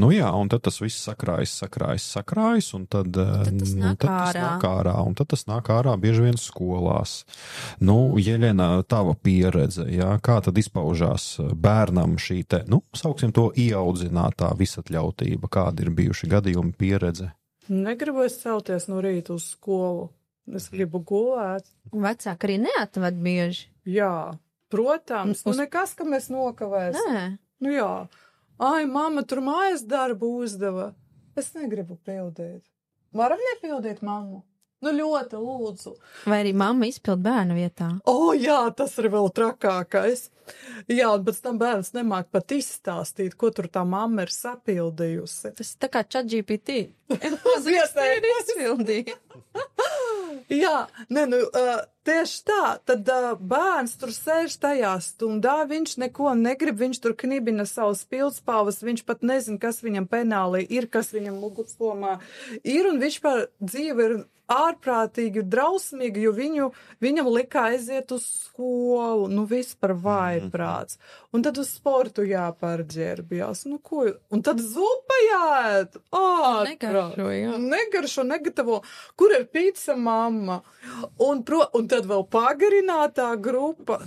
Nu jā, un tad tas viss sakrājas, sakrājas, sakrājas, un tad, tad, tas, nu, tad tas nāk ārā, un tad tas nāk ārā bieži vien skolās. Nu, Jeļena, tava pieredze, jā, kā tad izpaužās bērnam šī te, nu, sauksim to ieaudzinātā visatļautība, kādi ir bijuši gadījumi pieredze? Negribu es celties no rīta uz skolu, es gribu gulēt. Vecāki arī neatved bieži. Jā, protams, uz... nu nekas, ka mēs nokavēsim. Nē. Nu jā. Ai, mamma tur mājas darbu uzdeva. Es negribu pildīt. Varam nepildīt mammu? Nu ļoti lūdzu. Vai arī mamma izpild bērnu vietā? O, jā, tas ir vēl trakākais. Jā, un pēc tam bērns nemāk pat izstāstīt, ko tur tā mamma ir sapildījusi. Tas tā kā ChatGPT. Ir izpildīja. Jā, ne, nu, uh, tieši tā, tad uh, bērns tur sēž tajā stundā, viņš neko negrib, viņš tur knibina savus pildspalvas, viņš pat nezin, kas viņam penālī ir, kas viņam mugurslomā ir, un viņš par dzīvi ir ārprātīgi drausmīgi, jo viņu, viņam lika aiziet uz skolu, nu vispār vājprāts. Un tad uz sportu jāpārģērbjās, nu ko, un tad zupa jāēt, ārprāt. Negaršo, jā. Negaršo, negatavo, kur ir pizza mamma, un, pro, un tad vēl pagarinātā grupa,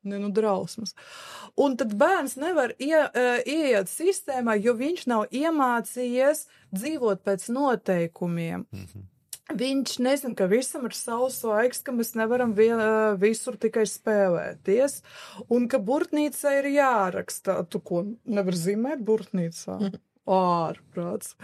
ne, nu drausmas. Un tad bērns nevar ie, ieiet sistēmā, jo viņš nav iemācījies dzīvot pēc noteikumiem. Mm-hmm. Viņš nezin, ka visam ir savs laiks, ka mēs nevaram vien, visur tikai spēlēties, un ka burtnīca ir jāraksta. Tu ko nevar zīmēt burtnīcā? Ārprāts.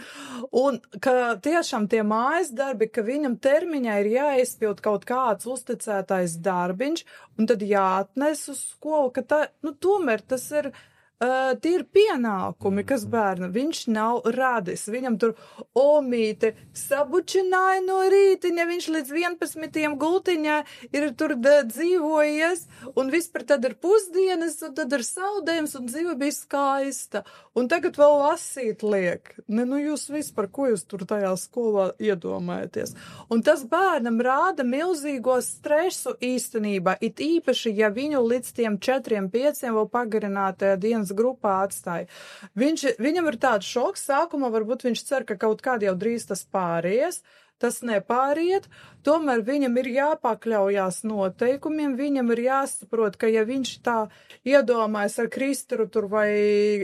Un ka tiešām tie mājas darbi, ka viņam termiņā ir jāizpild kaut kāds uzticētais darbiņš, un tad jāatnes uz skolu, ka tā, nu tomēr tas ir... Uh, tie ir pienākumi, kas bērna, viņš nav radis, viņam tur omīte sabučināja no rītiņa, viņš līdz vienpadsmitiem gultiņā ir tur da, dzīvojies, un vispār tad ir pusdienas, un tad ir saudējums, un dzīve bija skaista, un tagad vēl lasīt liek. Ne, nu jūs vispār, ko jūs tur tajā skolā iedomājaties? Un tas bērnam rāda milzīgo stresu īstenībā, it īpaši, ja viņu līdz tiem četriem, pieciem vēl pagarinātajā dienas grupā atstāja. Viņš, viņam ir tāds šoks, sākumā varbūt viņš cer, ka kaut kādi jau drīz tas pāries, tas nepāriet, tomēr viņam ir jāpakļaujās noteikumiem, viņam ir jāsaprot, ka ja viņš tā iedomājas ar Kristaru tur vai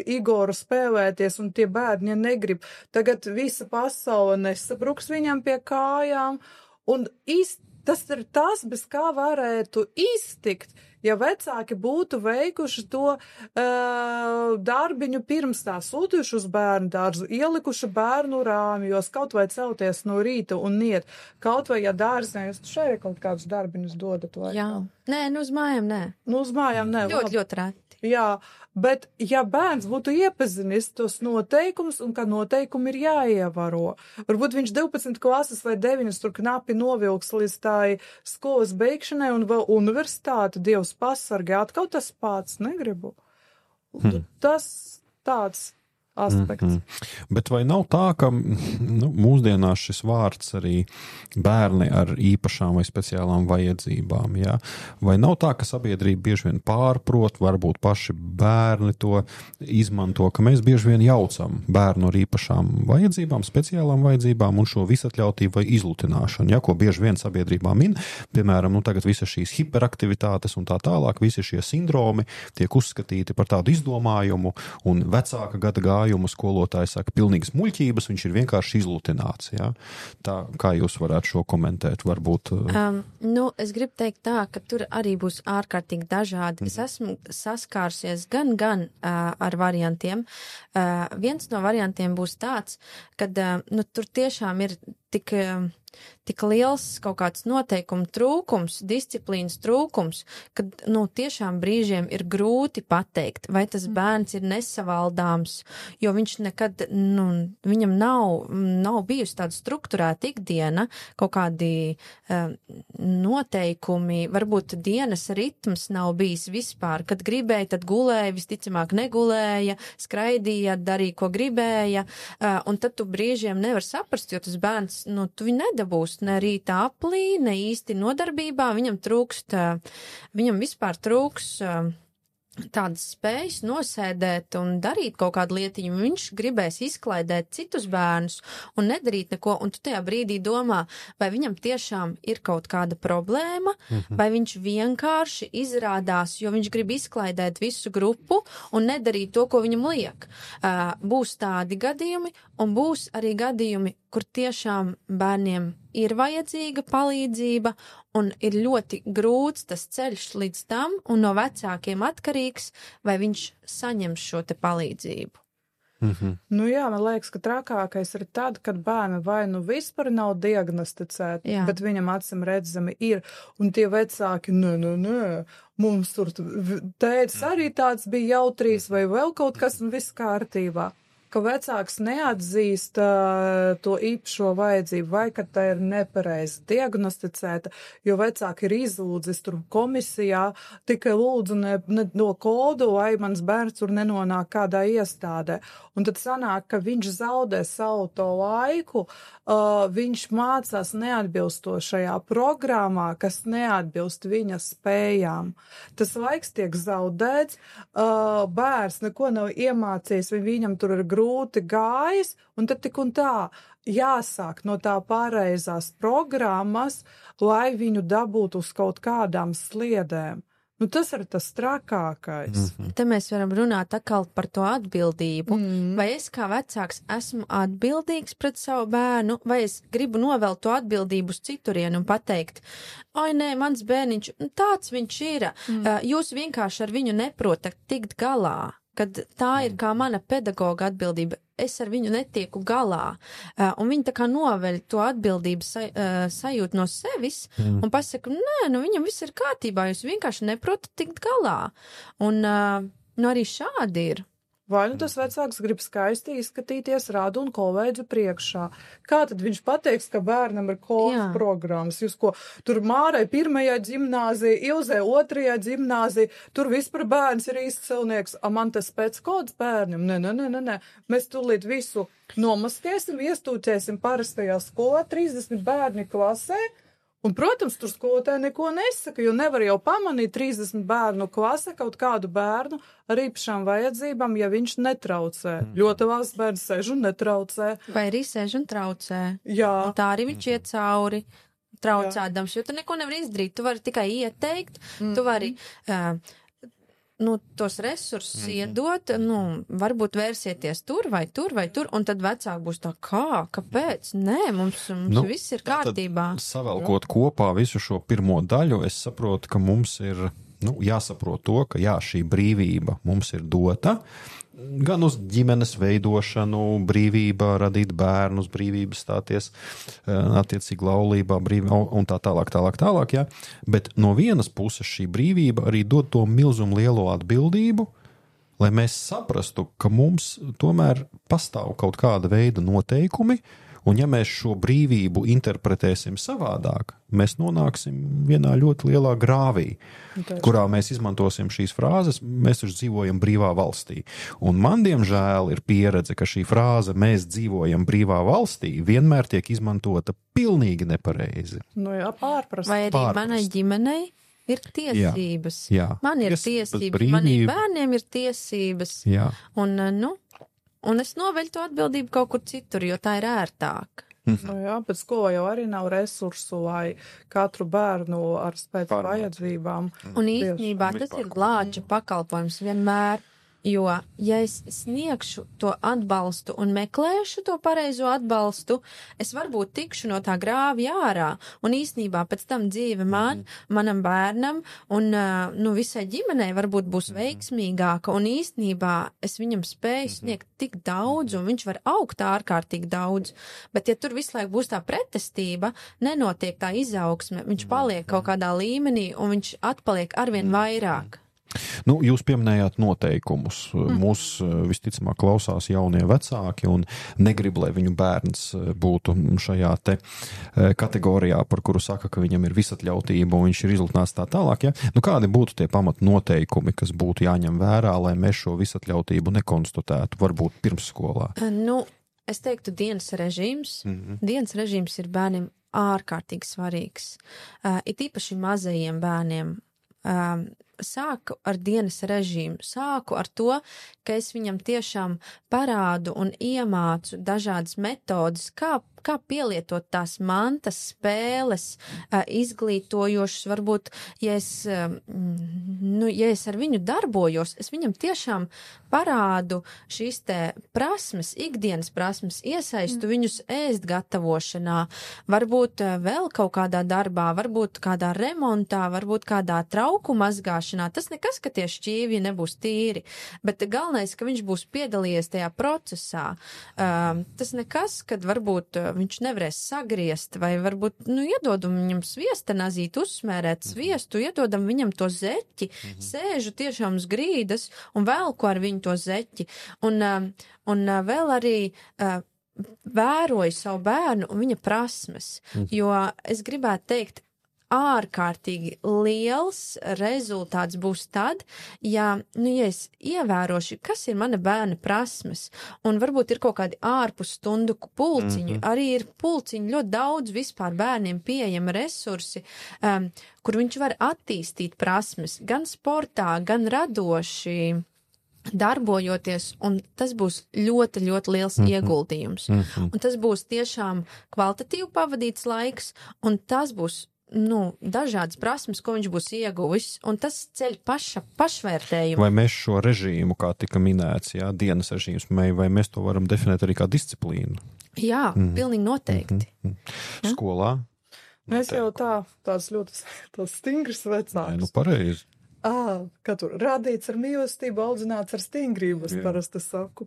Igoru spēlēties un tie bērni negrib, tagad visa pasaule nesabruks viņam pie kājām, un īsti tas ir tas, bez kā varētu iztikt, ja vecāki būtu veikuši to uh, darbiņu pirms tā sūtījuši uz bērnu dārzu, ielikuši bērnu rāmjos, kaut vai celties no rīta un iet, kaut vai, ja dārzē, jūs šeit kaut kādus darbiņus dodat vai? Jā, nē, nu uz mājām nē. Nu uz mājām nē. Ļoti, labi. Ļoti rēti. Jā, bet ja bērns būtu iepazinis tos noteikumus un ka noteikumi ir jāievaro, varbūt viņš divpadsmit klases vai deviņas tur knapi novilks līdz tai skolas beigšanai un vēl universitāte, Dievs pasargē, atkal tas pats negribu. Hmm. Tas tāds aspekts. Mm-hmm. Bet vai nav tā, ka nu, mūsdienās šis vārds arī bērni ar īpašām vai speciālām vajadzībām, jā? Vai nav tā, ka sabiedrība bieži vien pārprot, varbūt paši bērni to izmanto, ka mēs bieži vien jaucam bērnu ar īpašām vajadzībām, speciālām vajadzībām un šo visatļautību vai izlutināšanu, jā, ko bieži vien sabiedrībā min, piemēram, nu tagad visas šīs hiperaktivitātes un tā tālāk, visi šie sindromi tiek uzskatīti par tādu izdomājumu un vecāka gada gājumu skolotāji saka, pilnīgas muļķības, viņš ir vienkārši izlutināts. Ja? Tā, kā jūs varētu šo komentēt? Varbūt... Um, nu, es gribu teikt tā, ka tur arī būs ārkārtīgi dažādi. Es esmu saskārsies gan, gan uh, ar variantiem. Uh, viens no variantiem būs tāds, kad uh, nu, tur tiešām ir tik, tik liels kaut kāds noteikumu trūkums, disciplīnas trūkums, kad, nu, tiešām brīžiem ir grūti pateikt, vai tas bērns ir nesavaldāms, jo viņš nekad, nu, viņam nav, nav bijusi tāda strukturēta ikdiena, kaut kādi uh, noteikumi, varbūt dienas ritms nav bijis vispār, kad gribēja, tad gulēja, visticamāk negulēja, skraidīja, darīja, ko gribēja, uh, un tad tu brīžiem nevar saprast, jo tas bērns, nu, tu viņu nedabūs ne rītā aplī, ne īsti nodarbībā, viņam trūkst, viņam vispār trūks tādas spējas nosēdēt un darīt kaut kādu lietiņu. Viņš gribēs izklaidēt citus bērnus un nedarīt neko, un tu tajā brīdī domā, vai viņam tiešām ir kaut kāda problēma, mm-hmm. vai viņš vienkārši izrādās, jo viņš grib izklaidēt visu grupu un nedarīt to, ko viņam liek. Uh, būs tādi gadījumi, un būs arī gadījumi, kur tiešām bērniem ir vajadzīga palīdzība un ir ļoti grūts tas ceļš līdz tam un no vecākiem atkarīgs, vai viņš saņems šo te palīdzību. Mm-hmm. Nu jā, man liekas, ka trakākais ir tad, kad bērni vai nu vispār nav diagnosticēti, jā. Bet viņam acim redzami ir, un tie vecāki, nē, nē, nē, mums tur tētis arī tāds bija jautrīs vai vēl kaut kas, un viss kārtībā. Ka vecāks neatzīst uh, to īpašo vajadzību, vai ka tā ir nepareizi diagnosticēta, jo vecāki ir izlūdzis tur komisijā, tikai lūdzu ne, ne, no kodu, vai mans bērns tur nenonāk kādā iestādē. Un tad sanāk, ka viņš zaudē savu to laiku, uh, viņš mācās neatbilstošajā programmā, kas neatbilst viņa spējām. Tas laiks tiek zaudēts, uh, bērns neko nav iemācījis, vai viņam tur ir grūti gājis, un tad tik un tā jāsāk no tā pareizās programmas, lai viņu dabūtu uz kaut kādām sliedēm. Nu, tas ir tas trakākais. Mm-hmm. Te mēs varam runāt atkal par to atbildību. Mm. Vai es kā vecāks esmu atbildīgs pret savu bērnu, vai es gribu novelt to atbildību uz citurienu un pateikt, oi, nē, mans bērniņš, tāds viņš ir. Mm. Jūs vienkārši ar viņu neprotat tikt galā, kad tā ir kā mana pedagoga atbildība. Es ar viņu netieku galā, uh, un viņi tā kā noveļ to atbildību saj, uh, sajūt no sevis, mm. un pasaka, nē, nu viņam viss ir kārtībā, jūs vienkārši neprotat tikt galā. Un uh, nu arī šādi ir. Vai nu tas vecāks grib skaisti izskatīties rādu un kolēģu priekšā. Kā tad viņš pateiks, ka bērnam ir kolas programmas? Jūs ko, tur Mārai pirmajā ģimnāzija, Ilzē otrajā ģimnāzija, tur vispār bērns ir izcilnieks, a man tas pēc kodas bērnam? Nē, nē, nē, nē, mēs tūlīt visu nomaskēsim, iestūķēsim parastajā skolā, trīsdesmit bērni klasē. Un, protams, tur skolotāji neko nesaka, jo nevar jau pamanīt trīsdesmit bērnu klase kaut kādu bērnu ar īpašām vajadzībām, ja viņš netraucē. Mm. Ļoti valsts bērns sēž un netraucē. Vai arī sēž un traucē. Jā. Un tā arī viņš iet cauri traucēdams, jo tu neko nevar izdarīt. Tu vari tikai ieteikt, mm. tu vari... Uh, nu, tos resursus mm-hmm. iedot, nu, varbūt vērsieties tur vai tur vai tur, un tad vecāki būs tā, kā, kāpēc? Nē, mums, mums nu, viss ir kārtībā. Savelkot kopā visu šo pirmo daļu, es saprotu, ka mums ir, nu, jāsaprot to, ka jā, šī brīvība mums ir dota, gan uz ģimenes veidošanu, brīvībā radīt bērnus, brīvības stāties attiecīgi laulībā, brīvībā un tā tālāk, tālāk, tālāk, jā. Bet no vienas puses šī brīvība arī dod to milzumu lielo atbildību, lai mēs saprastu, ka mums tomēr pastāv kaut kāda veida noteikumi, un ja mēs šo brīvību interpretēsim savādāk, mēs nonāksim vienā ļoti lielā grāvī, kurā mēs izmantosim šīs frāzes, mēs taču dzīvojam brīvā valstī. Un man, diemžēl, ir pieredze, ka šī frāze mēs dzīvojam brīvā valstī vienmēr tiek izmantota pilnīgi nepareizi. Nu jā, pārprast. Vai arī pārprast. Manai ģimenei ir tiesības. Jā, jā. Man ir tiesības, tiesības maniem bērniem ir tiesības. Jā. Un, nu... Un es noveļu to atbildību kaut kur citur, jo tā ir ērtāk. Nu jā, bet skolā jau arī nav resursu, lai katru bērnu ar spēc vajadzībām. Un īstenībā tas ir glāča pakalpojums vienmēr. Jo, ja es sniegšu to atbalstu un meklēšu to pareizo atbalstu, es varbūt tikšu no tā grāvja ārā, un īsnībā pēc tam dzīve man, manam bērnam un, nu, visai ģimenei varbūt būs veiksmīgāka, un īsnībā es viņam spēju sniegt tik daudz, un viņš var augt ārkārtīgi daudz, bet ja tur visu laiku būs tā pretestība, nenotiek tā izaugsme, viņš paliek kaut kādā līmenī, un viņš atpaliek arvien vairāk. Nu, jūs pieminējāt noteikumus. Mūs visticamāk klausās jaunie vecāki un negrib, lai viņu bērns būtu šajā te kategorijā, par kuru saka, ka viņam ir visatļautība un viņš ir izlutnāts tā tālāk. Ja? Nu, kādi būtu tie pamat noteikumi, kas būtu jāņem vērā, lai mēs šo visatļautību nekonstatētu, varbūt pirmsskolā? Nu, es teiktu dienas režīms. Mm-hmm. Dienas režīms ir bērniem ārkārtīgi svarīgs. Uh, it īpaši mazajiem bērniem. Uh, Sāku ar dienas režīmu, sāku ar to, ka es viņam tiešām parādu un iemācu dažādas metodas, kā, kā pielietot tās mantas, spēles, izglītojošas, varbūt, ja es, nu, ja es ar viņu darbojos, es viņam tiešām parādu šīs te prasmes, ikdienas prasmes, iesaistu viņus ēst gatavošanā, varbūt vēl kaut kādā darbā, varbūt kādā remontā, varbūt kādā trauku mazgāšanā. Tas nekas, ka tie šķīvji nebūs tīri, bet galvenais, ka viņš būs piedalījies tajā procesā. Uh, tas nekas, kad varbūt viņš nevarēs sagriezt, vai varbūt, nu, iedodam viņam sviestanazīt, uzsmērēt sviestu, iedodam viņam to zeķi, mhm. sēžu tiešām uz grīdas un velku ar viņu to zeķi. Un, uh, un uh, vēl arī uh, vēroju savu bērnu un viņa prasmes, mhm. jo es gribētu teikt, ārkārtīgi liels rezultāts būs tad, ja, nu, ja es ievērošu, kas ir mana bērna prasmes, un varbūt ir kaut kādi ārpus stundu pulciņu, mm-hmm. arī ir pulciņi ļoti daudz vispār bērniem pieejama resursi, um, kur viņš var attīstīt prasmes, gan sportā, gan radoši, darbojoties, un tas būs ļoti, ļoti liels mm-hmm. ieguldījums. Mm-hmm. Un tas būs tiešām kvalitatīvi pavadīts laiks, un tas būs nu, dažādas prasmes, ko viņš būs ieguvis, un tas ceļ paša, pašvērtējumu. Vai mēs šo režīmu, kā tika minēts, jā, dienas režīms, vai mēs to varam definēt arī kā disciplīnu? Jā, mm. pilnīgi noteikti. Mm. Ja? Skolā? Mēs jau tā, tāds ļoti tāds stingrs vecāks. Nē, nu pareizi. Ā, kā tur radīts ar mīlestību, audzināts ar stingrību, es parasti saku.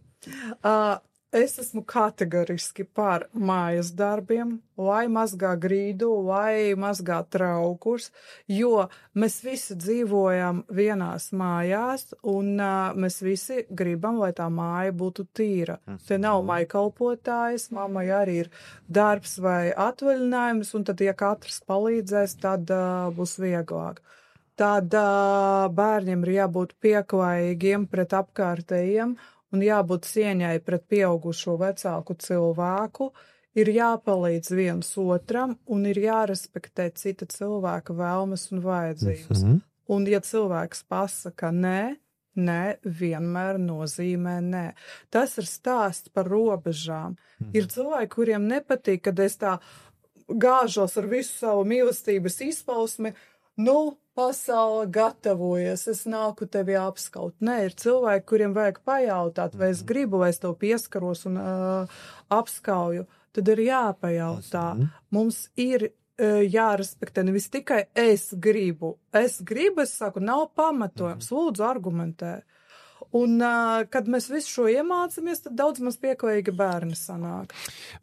Ā, Es esmu kategoriski par mājas darbiem, lai mazgā grīdu, lai mazgā traukus, jo mēs visi dzīvojam vienās mājās, un uh, mēs visi gribam, lai tā māja būtu tīra. Te nav maikalpotājs, mammai arī ir darbs vai atvaļinājums, un tad, ja katrs palīdzēs, tad uh, būs vieglāk. Tad uh, bērniem ir jābūt pieklājīgiem pret apkārtējiem, un jābūt cieņai pret pieaugušo vecāku cilvēku, ir jāpalīdz viens otram un ir jārespektē cita cilvēka vēlmes un vajadzības. Mm-hmm. Un ja cilvēks pasaka nē, nē vienmēr nozīmē nē. Tas ir stāsts par robežām. Mm-hmm. Ir cilvēki, kuriem nepatīk, kad es tā gāžos ar visu savu mīlestības izpausmi, nu, pasaule gatavojas, es nāku tevi apskaut. Nē, ir cilvēki, kuriem vajag pajautāt, vai es gribu, vai es tev pieskaros un uh, apskauju. Tad ir jāpajautā. Mums ir uh, jārespektē nevis tikai es gribu. Es gribu, es saku, nav pamatojums. Lūdzu, argumentē. Un, uh, kad mēs visu šo iemācāmies, tad daudz maz pieklājīgi bērni sanāk.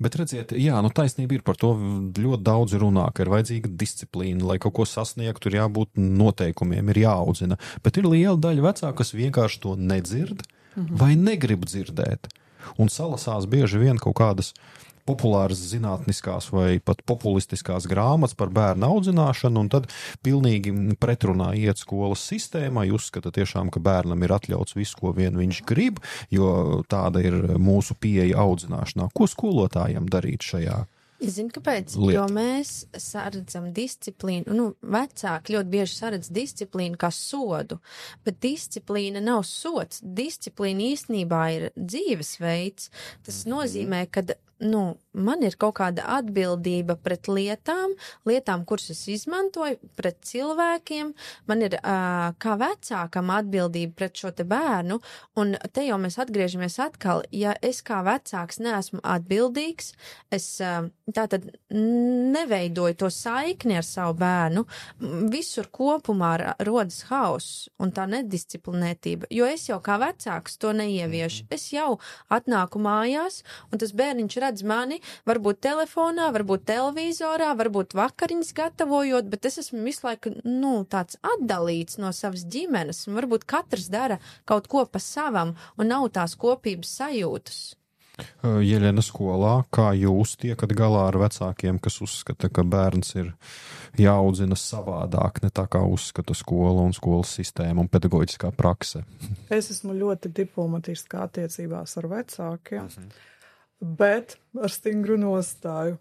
Bet redziet, jā, nu taisnība ir par to ļoti daudz runā, ka ir vajadzīga disciplīna, lai kaut ko sasniegtu, ir jābūt noteikumiem, ir jāaudzina. Bet ir liela daļa vecāku, kas vienkārši to nedzird mhm. vai negrib dzirdēt. Un salasās bieži vien kaut kādas populāras zinātniskās vai pat populistiskās grāmatas par bērnu audzināšanu, un tad pilnīgi pretrunā iet skolas sistēmai, uzskata tiešām, ka bērnam ir atļauts visu, ko vien viņš grib, jo tāda ir mūsu pieeja audzināšanā. Ko skolotājiem darīt šajā? Es zinu, kāpēc, lieta. Jo mēs saredzam disciplīnu, nu, vecāki ļoti bieži saredz disciplīnu kā sodu, bet disciplīna nav sods, disciplīna īstenībā ir dzīvesveids. Tas nozīmē, ka nu, man ir kaut kāda atbildība pret lietām, lietām, kuras es izmantoju, pret cilvēkiem, man ir uh, kā vecākam atbildība pret šo te bērnu, un te jau mēs atgriežamies atkal, ja es kā vecāks neesmu atbildīgs, es uh, tātad neveidoju to saikni ar savu bērnu, visur kopumā rodas hauss un tā nedisciplinētība, jo es jau kā vecāks to neieviešu, es jau atnāku mājās, un tas bērniņš redz mani, varbūt telefonā, varbūt televizorā, varbūt vakariņas gatavojot, bet es esmu visu laiku, nu, tāds atdalīts no savas ģimenes, un varbūt katrs dara kaut ko pa savam, un nav tās kopības sajūtas. Jeļena, skolā, kā jūs tiekat galā ar vecākiem, kas uzskata, ka bērns ir jāaudzina savādāk, ne tā kā uzskata skola un skolas sistēma un pedagoģiskā prakse? Es esmu ļoti diplomatiskā attiecībās ar vecākiem. Mhm. Bet ar stingru nostāju,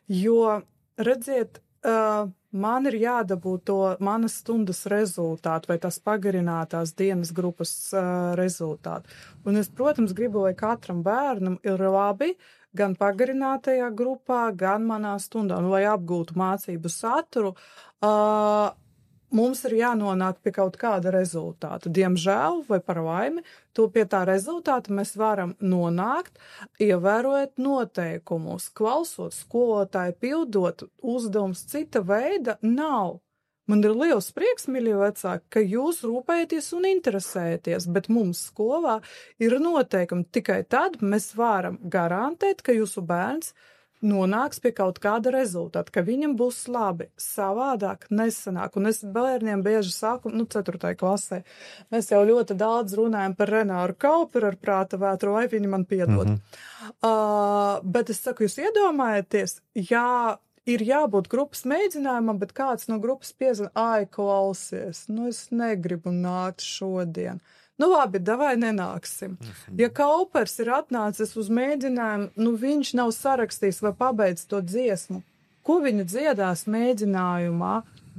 jo, redziet, uh, man ir jādabū to manas stundas rezultātu vai tās pagarinātās dienas grupas uh, rezultātu. Un es, protams, gribu, lai katram bērnam ir labi gan pagarinātajā grupā, gan manā stundā, un lai apgūtu mācību saturu, uh, mums ir jānonāk pie kaut kāda rezultāta. Diemžēl, vai par laimi, to pie tā rezultāta mēs varam nonākt, ievērojot noteikumus, klausot skolotāju, pildot uzdevums cita veida nav. Man ir liels prieks, mīļie vecāki, ka jūs rūpējaties un interesējaties, bet mums skolā ir noteikumi. Tikai tad mēs varam garantēt, ka jūsu bērns nonāks pie kaut kāda rezultāta, ka viņam būs labi, savādāk nesanāk. Un es bērniem bieži saku, nu, ceturtajā klasē, mēs jau ļoti daudz runājam par Renāru Kauperu ar prāta vētru, vai viņi man piedod. Mm-hmm. Uh, bet es saku, jūs iedomājaties, jā, ir jābūt grupas mēģinājumam, bet kāds no grupas piezina, ai, klausies, nu, es negribu nākt šodien. Nu labi, davai nenāksim. Ja Kaupers ir atnācis uz mēģinājumu, nu viņš nav sarakstījis vai pabeidz to dziesmu, ko viņa dziedās mēģinājumā,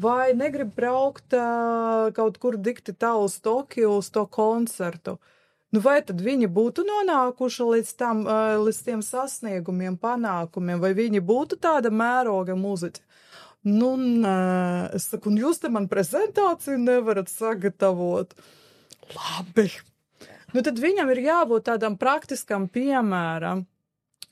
vai negrib braukt uh, kaut kur dikti tā uz Tokiju, uz to koncertu. Nu vai tad viņi būtu nonākuši līdz, tam, uh, līdz tiem sasniegumiem, panākumiem, vai viņi būtu tāda mēroga muziķa? Nu, nē, es saku, un jūs te man prezentāciju nevarat sagatavot. Labi. Nu, tad viņam ir jābūt tādam praktiskam piemēram,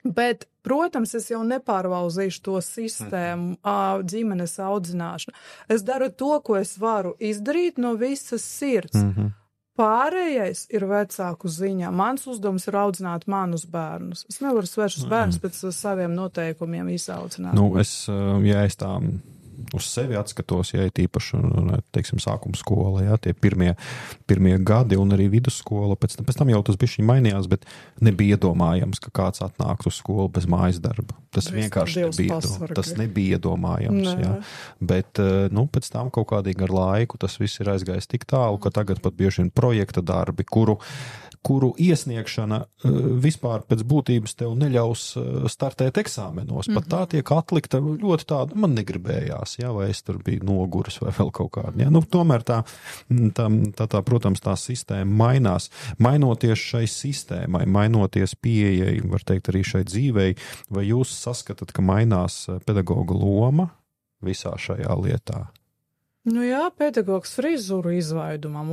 bet, protams, es jau nepārvalzīšu to sistēmu, mm-hmm. ģimenes audzināšanu. Es daru to, ko es varu izdarīt no visas sirds. Mm-hmm. Pārējais ir vecāku ziņā. Mans uzdevums ir audzināt manus bērnus. Es nevaru svešus bērnus pēc saviem noteikumiem izaudzināt. Nu, es, ja es tā uz sevi atskatos, ja ir īpaši, teiksim, sākuma skola, ja, tie pirmie, pirmie gadi un arī vidusskola, pēc tam, pēc tam jau tas bišķiņ mainījās, bet nebija iedomājams, ka kāds atnāk uz skolu bez mājas darba. Tas Viss vienkārši nebija, tas nebija iedomājams, Nē. Ja. Bet, nu, pēc tam kaut kādīgi ar laiku tas viss ir aizgājis tik tālu, ka tagad pat bieži vien projekta darbi, kuru kuru iesniegšana vispār pēc būtības tev neļaus startēt eksāmenos. Pat tā tiek atlikta ļoti tāda, man negribējās, ja, vai es tur biju noguris vai vēl kaut kāda. Ja. Nu, tomēr tā, tā, tā, tā, protams, tā sistēma mainās. Mainoties šai sistēmai, mainoties pieejai, var teikt arī šai dzīvei, vai jūs saskatat, ka mainās pedagoga loma visā šajā lietā? Nu jā, pedagogs frizuru izvaidumam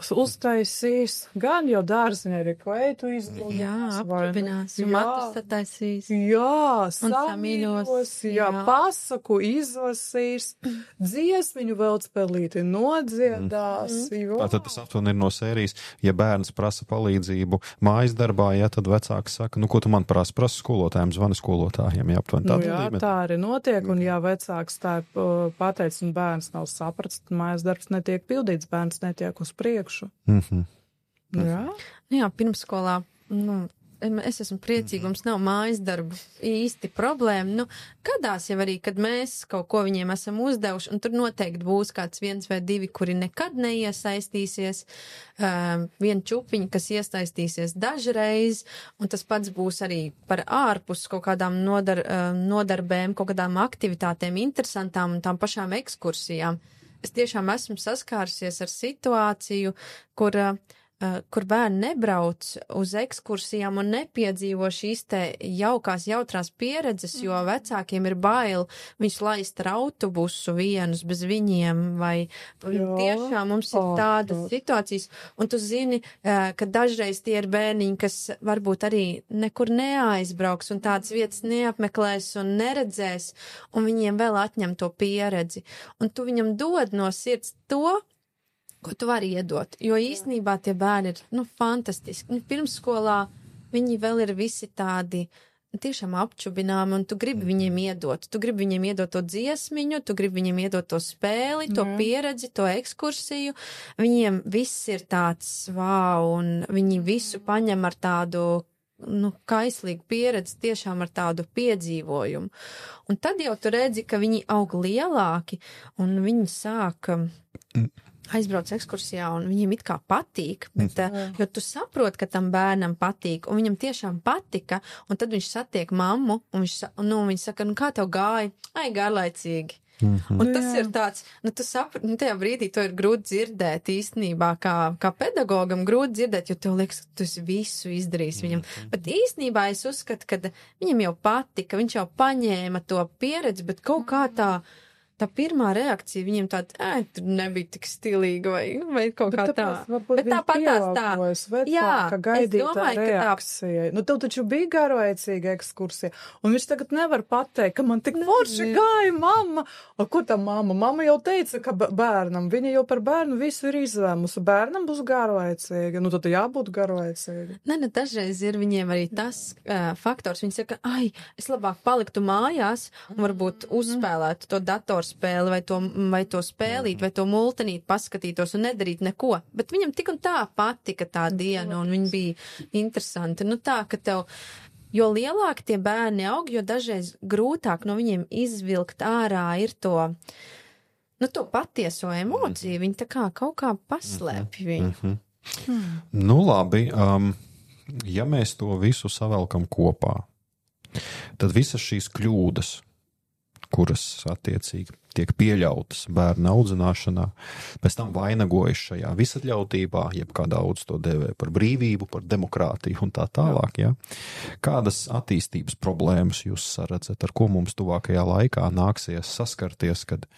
uztaisīs, gan jau dārziņā arī kleitu izlūdās. Jā, aprūpinās, matus attaisīs. Jā, samīļos, jā, jā, pasaku izlasīs, dziesmiņu vēl spēlīti nodziedās. Mm. Tātad tas aptuveni ir no sērijas, ja bērns prasa palīdzību mājas darbā, ja tad vecāks saka, nu ko tu man prasa, prasa skolotājiem, zvani skolotājiem, jā, aptuveni tādā nu, jā, līmenī. Tā arī notiek, un ja vecāks tā pateic, un bērns nav saprats, tad mājas darbs netiek pildīts, bērns netiek uz priekšu. Mm-hmm. Jā? Jā, pirmskolā, nu, es esmu priecīga, mums nav mājas darbu īsti problēma. Nu, gadās jau arī, kad mēs kaut ko viņiem esam uzdevuši, un tur noteikti būs kāds viens vai divi, kuri nekad neiesaistīsies, um, viena čupiņa, kas iesaistīsies dažreiz, un tas pats būs arī par ārpus kaut kādām nodar, nodarbēm, kaut kādām aktivitātēm interesantām un tām pašām ekskursijām. Es tiešām esmu saskārusies ar situāciju, kur uh, uh, kur bērni nebrauc uz ekskursijām un nepiedzīvo šīs te jaukās, jautrās pieredzes, jo vecākiem ir bail viņus laist ar autobusu vienus bez viņiem, vai Jā. tiešām mums ir tādas oh, situācijas, un tu zini, uh, ka dažreiz tie ir bērniņi, kas varbūt arī nekur neaizbrauks un tādas vietas neapmeklēs un neredzēs, un viņiem vēl atņem to pieredzi. Un tu viņam dod no sirds to, ko tu vari iedot, jo īstenībā tie bērni ir, nu, fantastiski. Nu, pirmsskolā viņi vēl ir visi tādi tiešām apčubināmi, un tu gribi viņiem iedot. Tu gribi viņiem iedot to dziesmiņu, tu gribi viņiem iedot to spēli, to mm. pieredzi, to ekskursiju. Viņiem viss ir tāds wow, un viņi visu paņem ar tādu, nu, kaislīgu pieredzi, tiešām ar tādu piedzīvojumu. Un tad jau tu redzi, ka viņi aug lielāki, un viņi sāk aizbrauc ekskursijā, un viņiem it kā patīk, bet, mm. jo tu saproti, ka tam bērnam patīk, un viņam tiešām patika, un tad viņš satiek mammu, un viņš, nu, viņš saka, nu, kā tev gāja? Ai, garlaicīgi. Mm-hmm. Un tas Jā. ir tāds, nu, tu saproti, nu, tajā brīdī to ir grūti dzirdēt īstenībā, kā, kā pedagogam grūti dzirdēt, jo tev liekas, ka tu esi visu izdarījis viņam. Mm-hmm. Bet īstenībā es uzskatu, ka viņam jau patika, viņš jau paņēma to pieredzi, bet kaut kā tā, tā pirmā reakcija viņiem tāda, ē, tur nebija tik stilīga vai, vai kaut bet kā tā. Bet tāpat tās tā. Jā, es domāju, reakcijai. Nu, tev taču bija garlaicīga ekskursija, un viņš tagad nevar pateikt, ka man tik forši gāja mamma. O, ko tā mamma? Mamma jau teica, ka bērnam, viņa jau par bērnu visu ir izlēmusi. Bērnam būs garlaicīga. Nu, tad jābūt garlaicīga. Nē, ne, dažreiz ir viņiem arī tas uh, faktors. Viņi saka, ai, es labāk paliktu mājās un varbūt uzspēlētu to datoru spēli vai to, vai to spēlīt, vai to multenīt, paskatītos un nedarīt neko. Bet viņam tik un tā patika tā diena, un viņa bija interesanti. Nu tā, ka tev, jo lielāki tie bērni aug, jo dažreiz grūtāk no viņiem izvilkt ārā ir to, nu to patieso emociju. Viņi tā kā kaut kā paslēpj viņu. Mm-hmm. Hmm. Nu labi, um, ja mēs to visu savelkam kopā, tad visas šīs kļūdas, kuras attiecīgi tiek pieļautas bērna audzināšanā, pēc tam vainagojas šajā visatļautībā, jeb kā daudz to dēvē par brīvību, par demokrātiju un tā tālāk. Ja? Kādas attīstības problēmas jūs saredzat, ar ko mums tuvākajā laikā nāksies saskarties, kad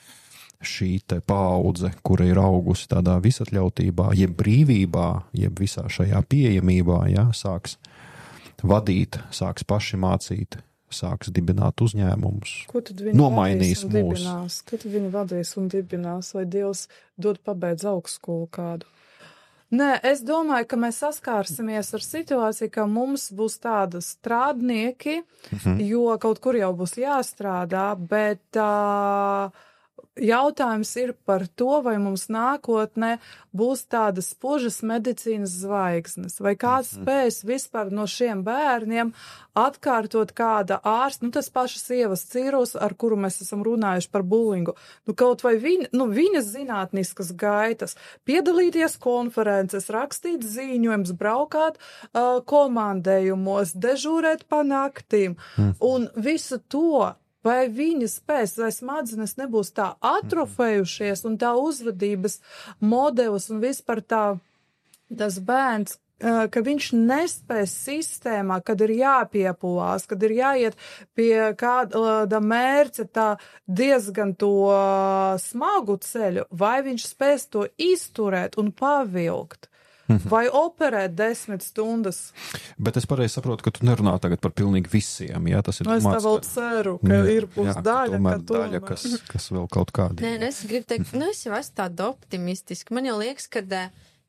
šī te paudze, kura ir augusi tādā visatļautībā, jeb brīvībā, jeb visā šajā pieejamībā, ja, sāks vadīt, sāks paši mācīt, sāks dibināt uzņēmumus, nomainīs mūs. Ko tad viņi vadīs un dibinās, vai Dievs dod pabeidz augstskolu kādu? Nē, es domāju, ka mēs saskārsimies ar situāciju, ka mums būs tāda strādnieki, mhm. jo kaut kur jau būs jāstrādā, bet uh, jautājums ir par to, vai mums nākotnē būs tādas spožas medicīnas zvaigznes, vai kāds mm-hmm. spēs vispār no šiem bērniem atkārtot kāda ārsta, nu tas pašas Ievas Cīrus, ar kuru mēs esam runājuši par bulingu, nu kaut vai viņa, nu viņas zinātniskas gaitas, piedalīties konferences, rakstīt ziņojums, braukāt uh, komandējumos, dežūrēt pa naktīm, mm-hmm. un visu to, vai viņa spēs, vai smadzenes nebūs tā atrofējušies un tā uzvedības modelis un vispār tā, tas bērns, ka viņš nespēs sistēmā, kad ir jāpiepulās, kad ir jāiet pie kāda mērķa tā diezgan to smagu ceļu, vai viņš spēs to izturēt un pavilkt. Vai operēt desmit stundas. Bet es pareizi saprotu, ka tu nerunā tagad par pilnīgi visiem, jā? Tas ir es domāts, tā vēl ceru, ka jā, ir būs jā, daļa, tomēr ka tomēr. daļa, kas, kas vēl kaut kādi. Nē, es gribu teikt, nu es jau esmu tāda optimistiska. Man jau liekas, kad,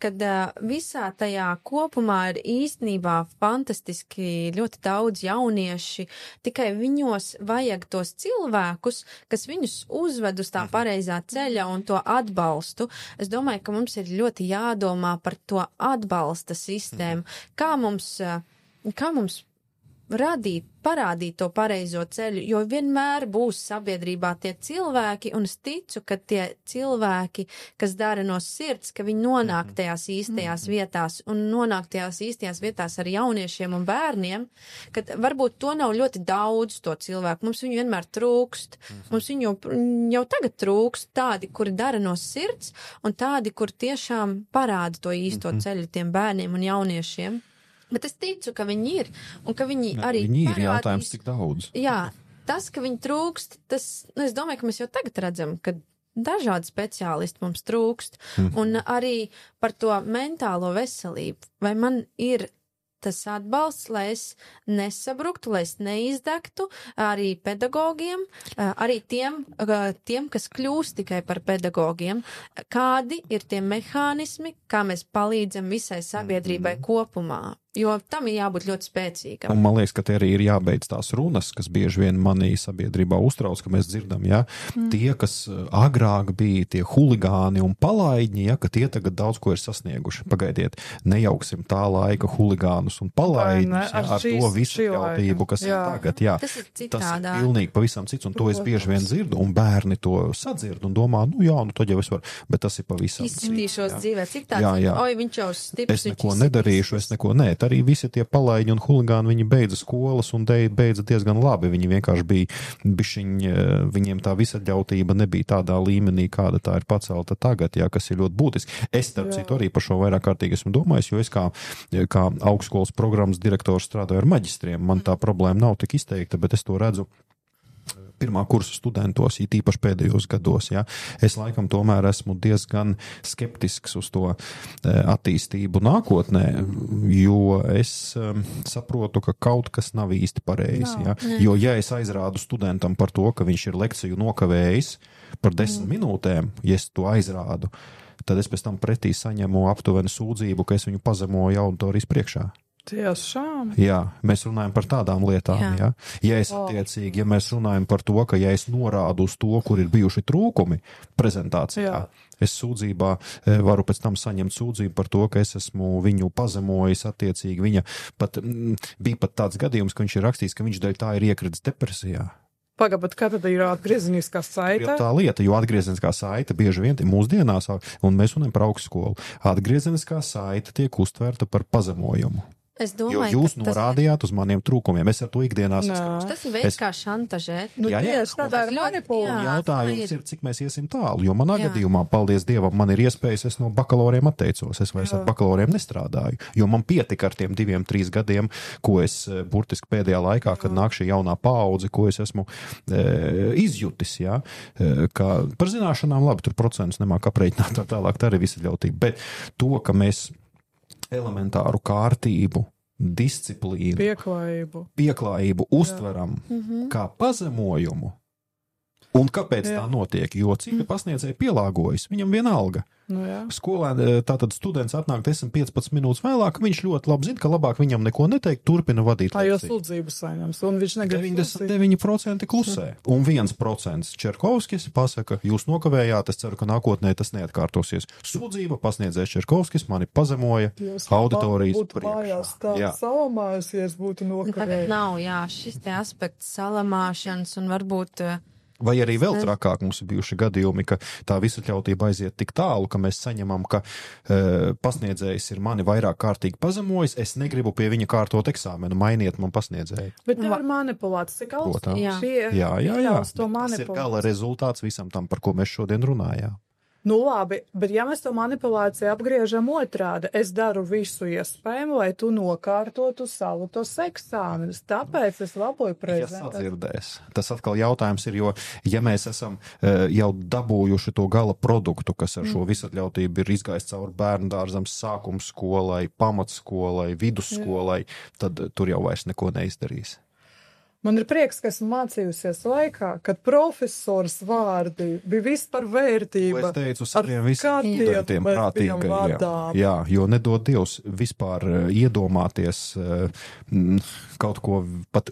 kad visā tajā kopumā ir īstenībā fantastiski ļoti daudz jaunieši, tikai viņos vajag tos cilvēkus, kas viņus uzved uz tā pareizā ceļa un to atbalstu. Es domāju, ka mums ir ļoti jādomā par to atbalsta sistēmu. Kā mums, kā mums radīt, parādīt to pareizo ceļu, jo vienmēr būs sabiedrībā tie cilvēki, un es ticu, ka tie cilvēki, kas dara no sirds, ka viņi nonāk tajās īstajās vietās, un nonāk tajās īstajās vietās ar jauniešiem un bērniem, ka varbūt to nav ļoti daudz to cilvēku, mums viņu vienmēr trūkst, mums viņu jau, jau tagad trūkst tādi, kuri dara no sirds, un tādi, kur tiešām parāda to īsto ceļu tiem bērniem un jauniešiem. Bet es ticu, ka viņi ir, un ka viņi Jā, arī viņi ir parādīs, jautājums, cik daudz. Jā, tas, ka viņi trūkst, tas, nu, es domāju, ka mēs jau tagad redzam, ka dažādi speciālisti mums trūkst, mm. un arī par to mentālo veselību. Vai man ir tas atbalsts, lai es nesabruktu, lai es neizdegtu arī pedagogiem, arī tiem, tiem, kas kļūst tikai par pedagogiem. Kādi ir tie mehānismi, kā mēs palīdzam visai sabiedrībai mm. kopumā? Jo tam ir jābūt ļoti spēcīgam. Un man liekas, ka te arī ir jābeidz tās runas, kas bieži vien manī sabiedrībā uztrauc, ka mēs dzirdam, ja, mm. tie, kas agrāk bija tie huligāni un palaidņi, ja, ka tie tagad daudz ko ir sasnieguši. Pagaidiet, nejauksim tā laika huligānus un palaidņus, ne, ja, ar šīs, to visu ļautību, kas jā. ir tagad. Jā. Tas ir citādā. Tas ir pilnīgi pavisam cits, un to es bieži vien dzirdu, un bērni to sadzird un domā, nu jā, nu tad jau es varu, bet tas ir pavisam cits. Izskatīšos dzīvē, cik tāds, jā, jā. oi, viņš jau stiprs. Es neko nedarīšu, es neko nē. Arī visi tie palaiņi un huligāni, viņi beidza skolas un beidza diezgan labi. Viņi vienkārši bija, bišķiņ, viņiem tā visatļautība nebija tādā līmenī, kāda tā ir pacelta tagad, jā, kas ir ļoti būtiski. Es, starp citu, arī par šo vairāk kārtīgi esmu domājis, jo es kā, kā augstskolas programmas direktors strādāju ar maģistriem. Man tā problēma nav tik izteikta, bet es to redzu pirmā kursa studentos, īpaši pēdējos gados. Ja. Es laikam tomēr esmu diezgan skeptisks uz to attīstību nākotnē, jo es um, saprotu, ka kaut kas nav īsti pareizi. Ja. Jo ja es aizrādu studentam par to, ka viņš ir lekciju nokavējis par desmit mm. minūtēm, ja es to aizrādu, tad es pēc tam pretī saņemu aptuveni sūdzību, ka es viņu pazemoju auditorijas priekšā. Tiešām. Jā, mēs runājam par tādām lietām, jā. Ja? Ja es attiecīgi, ja mēs runājam par to, ka ja es norādu uz to, kur ir bijuši trūkumi prezentācijā, jā. es sūdzībā varu pēc tam saņemt sūdzību par to, ka es esmu viņu pazemojis attiecīgi. Viņa pat, m, bija pat tāds gadījums, ka viņš ir rakstījis, ka viņš dēļ tā ir iekritis depresijā. Pagaid, kā tad ir atgriezeniskā saite? Tā lieta, jo atgriezeniskā saite bieži vien mūsdienās, un mēs runājam par augstskolu, atgriezeniskā saite tiek uztvērta par pazemojumu. Es domāju, jo jūs ka norādījāt tas... uz maniem trūkumiem. Es ar to ikdienās saskaros. Tas ir veids, es... kā šantažēt. Nu, jā, jā. Tieši tādā ir manipulācija. Jautājums ir, cik mēs iesim tālu, jo manā jā. gadījumā, paldies Dievam, man ir iespējas, es no bakalauriem atteicos. Es vairs jā. ar bakalauriem nestrādāju, jo man pietika ar tiem diviem, trīs gadiem, ko es burtiski pēdējā laikā, kad jā. nāk šī jaunā paudze, ko es esmu e, izjutis, jā, e, ka par zināšanām labi, tur procentus nemāk aprēķināt tā tālāk, tā arī visa ļautība. Bet to, ka mēs elementāru kārtību, disciplīnu, pieklājību, pieklājību uztveram mm-hmm. kā pazemojumu. Un kāpēc jā. tā notiek? Jo cik pasniedzēji pielāgojas, viņam vienalga. Nu, jā. Skolēni, tātad students atnāk desmit piecpadsmit minūtes vēlāk, viņš ļoti labi zina, ka labāk viņam neko neteikt, turpina vadīt lekciju. Tā jau lekciju. sūdzības saņems, un viņš negrib deviņdesmit deviņi procenti klusē. Un viens procents Čerkovskis pasaka, jūs nokavējāt, es ceru, ka nākotnē tas neatkārtosies. Sūdzība pasniedzējs Čerkovskis mani pazemoja jūs auditorijas būtu mājās tā salamājusies, būtu nokavējis. Tagad nav, jā, šis te aspekts salamāšanas un varbūt... Vai arī vēl trakāk mums ir bijuši gadījumi, ka tā visatļautība aiziet tik tālu, ka mēs saņemam, ka e, pasniedzējs ir mani vairāk kārtīgi pazemojis, es negribu pie viņa kārtot eksāmenu, mainiet man pasniedzēju. Bet tā ir manipulācija, cik augstu jā. šie jā, jā, jā. Tas ir gala rezultāts visam tam, par ko mēs šodien runājām. Nu labi, bet ja mēs to manipulāciju apgriežam otrādi, es daru visu iespējamo, lai tu nokārtotu savu tos eksāmenus, tāpēc es laboju prezentāciju. Ja sadzirdēs. Tas atkal jautājums ir, jo ja mēs esam uh, jau dabūjuši to gala produktu, kas ar šo visatļautību ir izgājis cauri bērndārzam, sākums skolai, pamatskolai, vidusskolai, tad tur jau vairs neko neizdarīs. Man ir prieks, ka esmu mācījusies laikā, kad profesors vārdi bija vispār vērtība. Es teicu saviem visiem studentiem prātīgajiem. Jā, jo nedod Dievs vispār iedomāties kaut ko, pat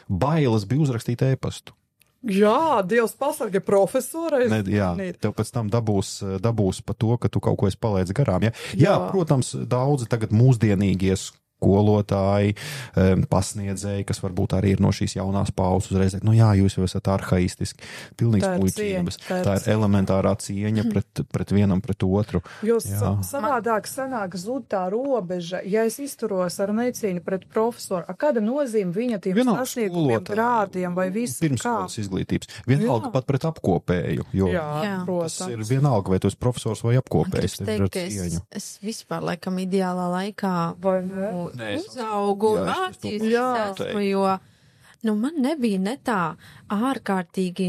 bailes bija uzrakstīt ēpastu. Jā, Dievs pasarga profesorai. Ne, jā, tev pēc tam dabūs, dabūs pa to, ka tu kaut ko esi palaidis garām. Ja? Jā, jā, protams, daudzi tagad mūsdienīgie skolotāji, pasniedzēji, kas varbūt arī ir no šīs jaunās paudzes uzreiz, nu jā, jūs jau esat arhaistiski, pilnīgs muļķības. Tā, tā ir elementārā cieņa pret, pret vienam, pret otru. Jo sa savādāk sanāk zud tā robeža, ja es izturos ar necieņu pret profesoru, a kāda nozīme viņa tiem sasniegumiem, grādiem vai visu kā? Pirmskolas izglītības. Vienalga jā. Pat pret apkopēju, jo jā, tas ir vienalga, vai tu esi profesors vai apkopējs. Teikt, ka es, es vispār laikam ideālā laikā vai ne? Uzaugu, mācīju, jo nu, man nebija ne tā ārkārtīgi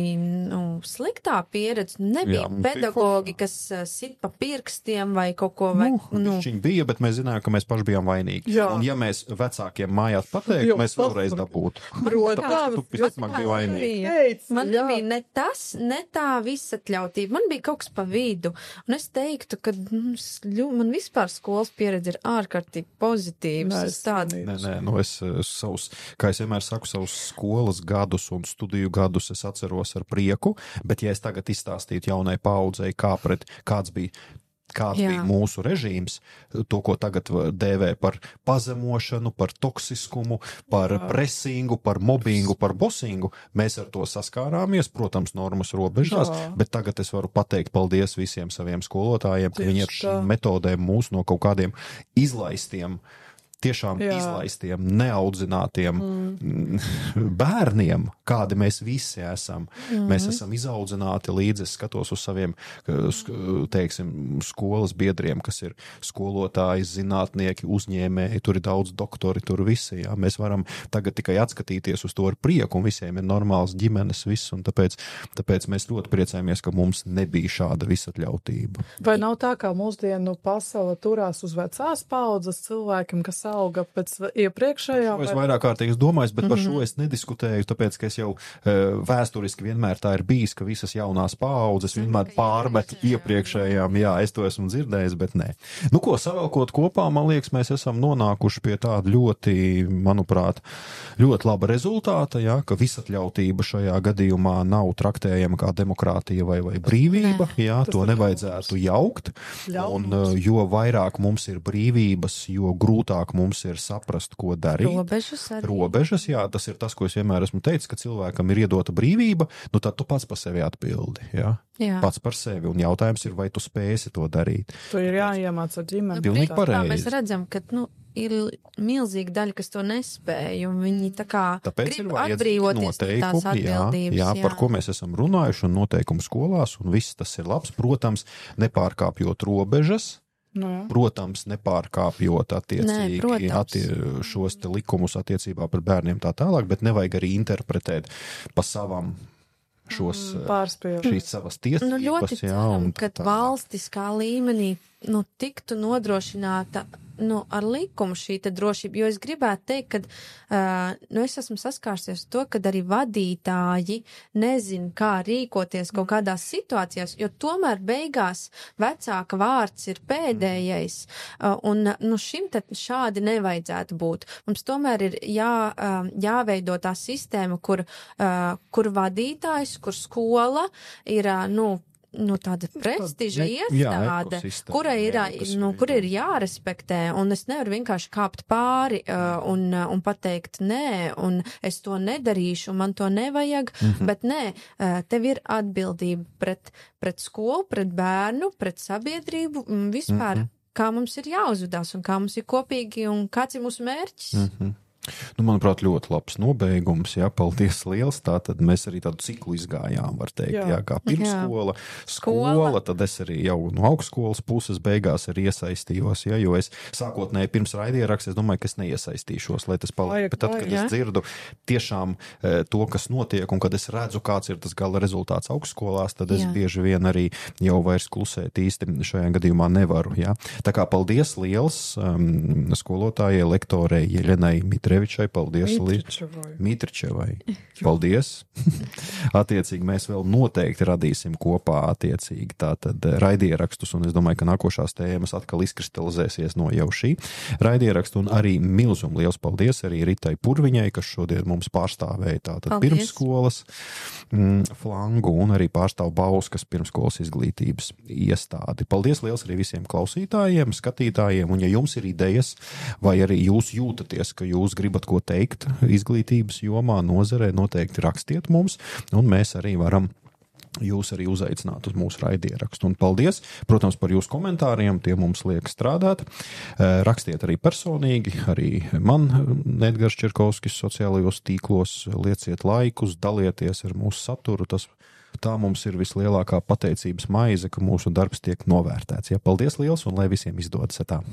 nu, sliktā pieredze. Nebija jā, pedagogi, kas uh, sit pa pirkstiem vai kaut ko. Vai, nu, nu. Viņi bija, bet mēs zinājām, ka mēs paši bijām vainīgi. Jā. Un ja mēs vecākiem mājās pateiktu, mēs vēlreiz dabūtu. Tāpēc tu visticamāk biji vainīgi. Man nebija ne tas, ne tā visatļautība. Man bija kaut kas pa vidu. Un es teiktu, ka mums, man vispār skolas pieredze ir ārkārtīgi pozitīvs. Nē, nē, nē, nu es savus, kā es vienmēr saku, savus skolas gadus un studiju gadus es atceros ar prieku, bet ja es tagad izstāstītu jaunai paudzei, kā pret, kāds bija, kāds Jā. bija mūsu režīms, to, ko tagad dēvē par pazemošanu, par toksiskumu, par Jā. presingu, par mobbingu, par bosingu, mēs ar to saskārāmies, protams, normas robežās, Jā. bet tagad es varu pateikt paldies visiem saviem skolotājiem, ka viņi ar šīm metodēm mūs no kaut kādiem izlaistiem tiešām Jā. izlaistiem, neaudzinātiem mm. bērniem, kādi mēs visi esam. Mm. Mēs esam izaudzināti līdz, es skatos uz saviem, teiksim, skolas biedriem, kas ir skolotāji, zinātnieki, uzņēmēji, tur ir daudz doktori, tur visi, jā. Mēs varam tagad tikai atskatīties uz to ar prieku, un visiem ir normāls ģimenes viss, un tāpēc, tāpēc mēs ļoti priecājamies, ka mums nebija šāda visatļautība. Vai nav tā, kā mūsdienu pasaule turās uz vecās paudzes cilvēkiem, kas auga pēc iepriekšējā? Šo es vairāk kārtīgi domāju, bet par šo es nediskutēju, tāpēc, ka es jau e, vēsturiski vienmēr tā ir bijis, ka visas jaunās paaudzes vienmēr pārmet iepriekšējām. Jā, es to esmu dzirdējis, bet nē. Nu ko, savēlkot kopā, man liekas, mēs esam nonākuši pie tāda ļoti, manuprāt, ļoti laba rezultāta, jā, ka visatļautība šajā gadījumā nav traktējama kā demokrātija vai, vai brīvība, jā, to nevajadzētu jaukt, un jo vairāk mums ir brīvības, jo grūtāk mums ir saprast, ko darīt. Robežas arī. Robežas, jā, tas ir tas, ko es vienmēr esmu teicis, ka cilvēkam ir iedota brīvība, nu tad tu pats par sevi atbildi, jā. Jā. Pats par sevi, un jautājums ir, vai tu spēsi to darīt. Tu ir jāiemāc ar ģimeni. Pilnīgi pareizi. Mēs redzam, ka, nu, ir milzīga daļa, kas to nespēja, un viņi tā kā Tāpēc grib atbrīvoties tās atbildības. Jā, jā, par ko mēs esam runājuši, un noteikumu skolās, un viss tas ir labs, protams, nepārkāpjot robežas, No. Protams, nepārkāpjot attiecīgi Nē, attie, šos te likumus attiecībā par bērniem tā tālāk, bet nevajag arī interpretēt pa savam šos, Pārspējot. šīs savas tiesības. Nu, ļoti ceram, kad valstiskā līmenī nu, tiktu nodrošināta nu, ar likumu šī te drošība, jo es gribētu teikt, ka uh, nu, es esmu saskārsies to, kad arī vadītāji nezin, kā rīkoties kaut kādās situācijās, jo tomēr beigās vecāka vārds ir pēdējais, uh, un nu, šim te šādi nevajadzētu būt. Mums tomēr ir jā, uh, jāveido tā sistēma, kur, uh, kur vadītājs, kur skola ir, uh, nu, nu, tāda prestiža iestāde, kura ir, nu, kur ir jārespektē, un es nevaru vienkārši kāpt pāri uh, un, uh, un pateikt nē, un es to nedarīšu, man to nevajag, mm-hmm. bet nē, uh, tev ir atbildība pret, pret skolu, pret bērnu, pret sabiedrību, vispār, mm-hmm. kā mums ir jāuzvedās, un kā mums ir kopīgi, un kāds ir mūsu mērķis. Mm-hmm. Nu, manuprāt, ļoti labs nobeigums, jā, paldies liels, tātad mēs arī tādu ciklu izgājām, var teikt, jā, jā kā pirmskola, skola, skola, tad es arī jau no augstskolas puses beigās arī iesaistījos, jā, jo es sākotnēji pirms raidieraksts, es domāju, ka es neiesaistīšos, lai tas paliek, bet tad, kad jā. es dzirdu tiešām e, to, kas notiek, un kad es redzu, kāds ir tas gala rezultāts augstskolās, tad es jā. bieži vien arī jau vairs klusēt īsti šajā gadījumā nevaru, jā. Tā kā paldies liels um, skolotājai, lektorei Jeļenai Mitričevai Drevičai, paldies. Mitričevai. Mitričevai. Paldies. Attiecīgi mēs vēl noteikti radīsim kopā attiecīgi tātad raidierakstus, un es domāju, ka nākošās tēmas atkal izkristalizēsies no jau šī raidierakstu, un arī milzum liels paldies arī Ritai Purviņai, kas šodien mums pārstāvēja tātad paldies. Pirmsskolas mm, flangu, un arī pārstāv Bauskas pirmsskolas izglītības iestādi. Paldies liels arī visiem klausītājiem, skatītājiem, un ja jums ir idejas, vai arī jūs jūtaties, ka jūs gribat ko teikt izglītības jomā, nozarē, noteikti rakstiet mums, un mēs arī varam jūs arī uzaicināt uz mūsu raidierakstu. Un paldies, protams, par jūsu komentāriem, tie mums liek strādāt. Rakstiet arī personīgi, arī man, Edgars Čerkovskis, sociālajos tīklos, lieciet laikus, dalieties ar mūsu saturu, tas tā mums ir vislielākā pateicības maize, ka mūsu darbs tiek novērtēts. Ja, paldies liels un lai visiem izdodas tā.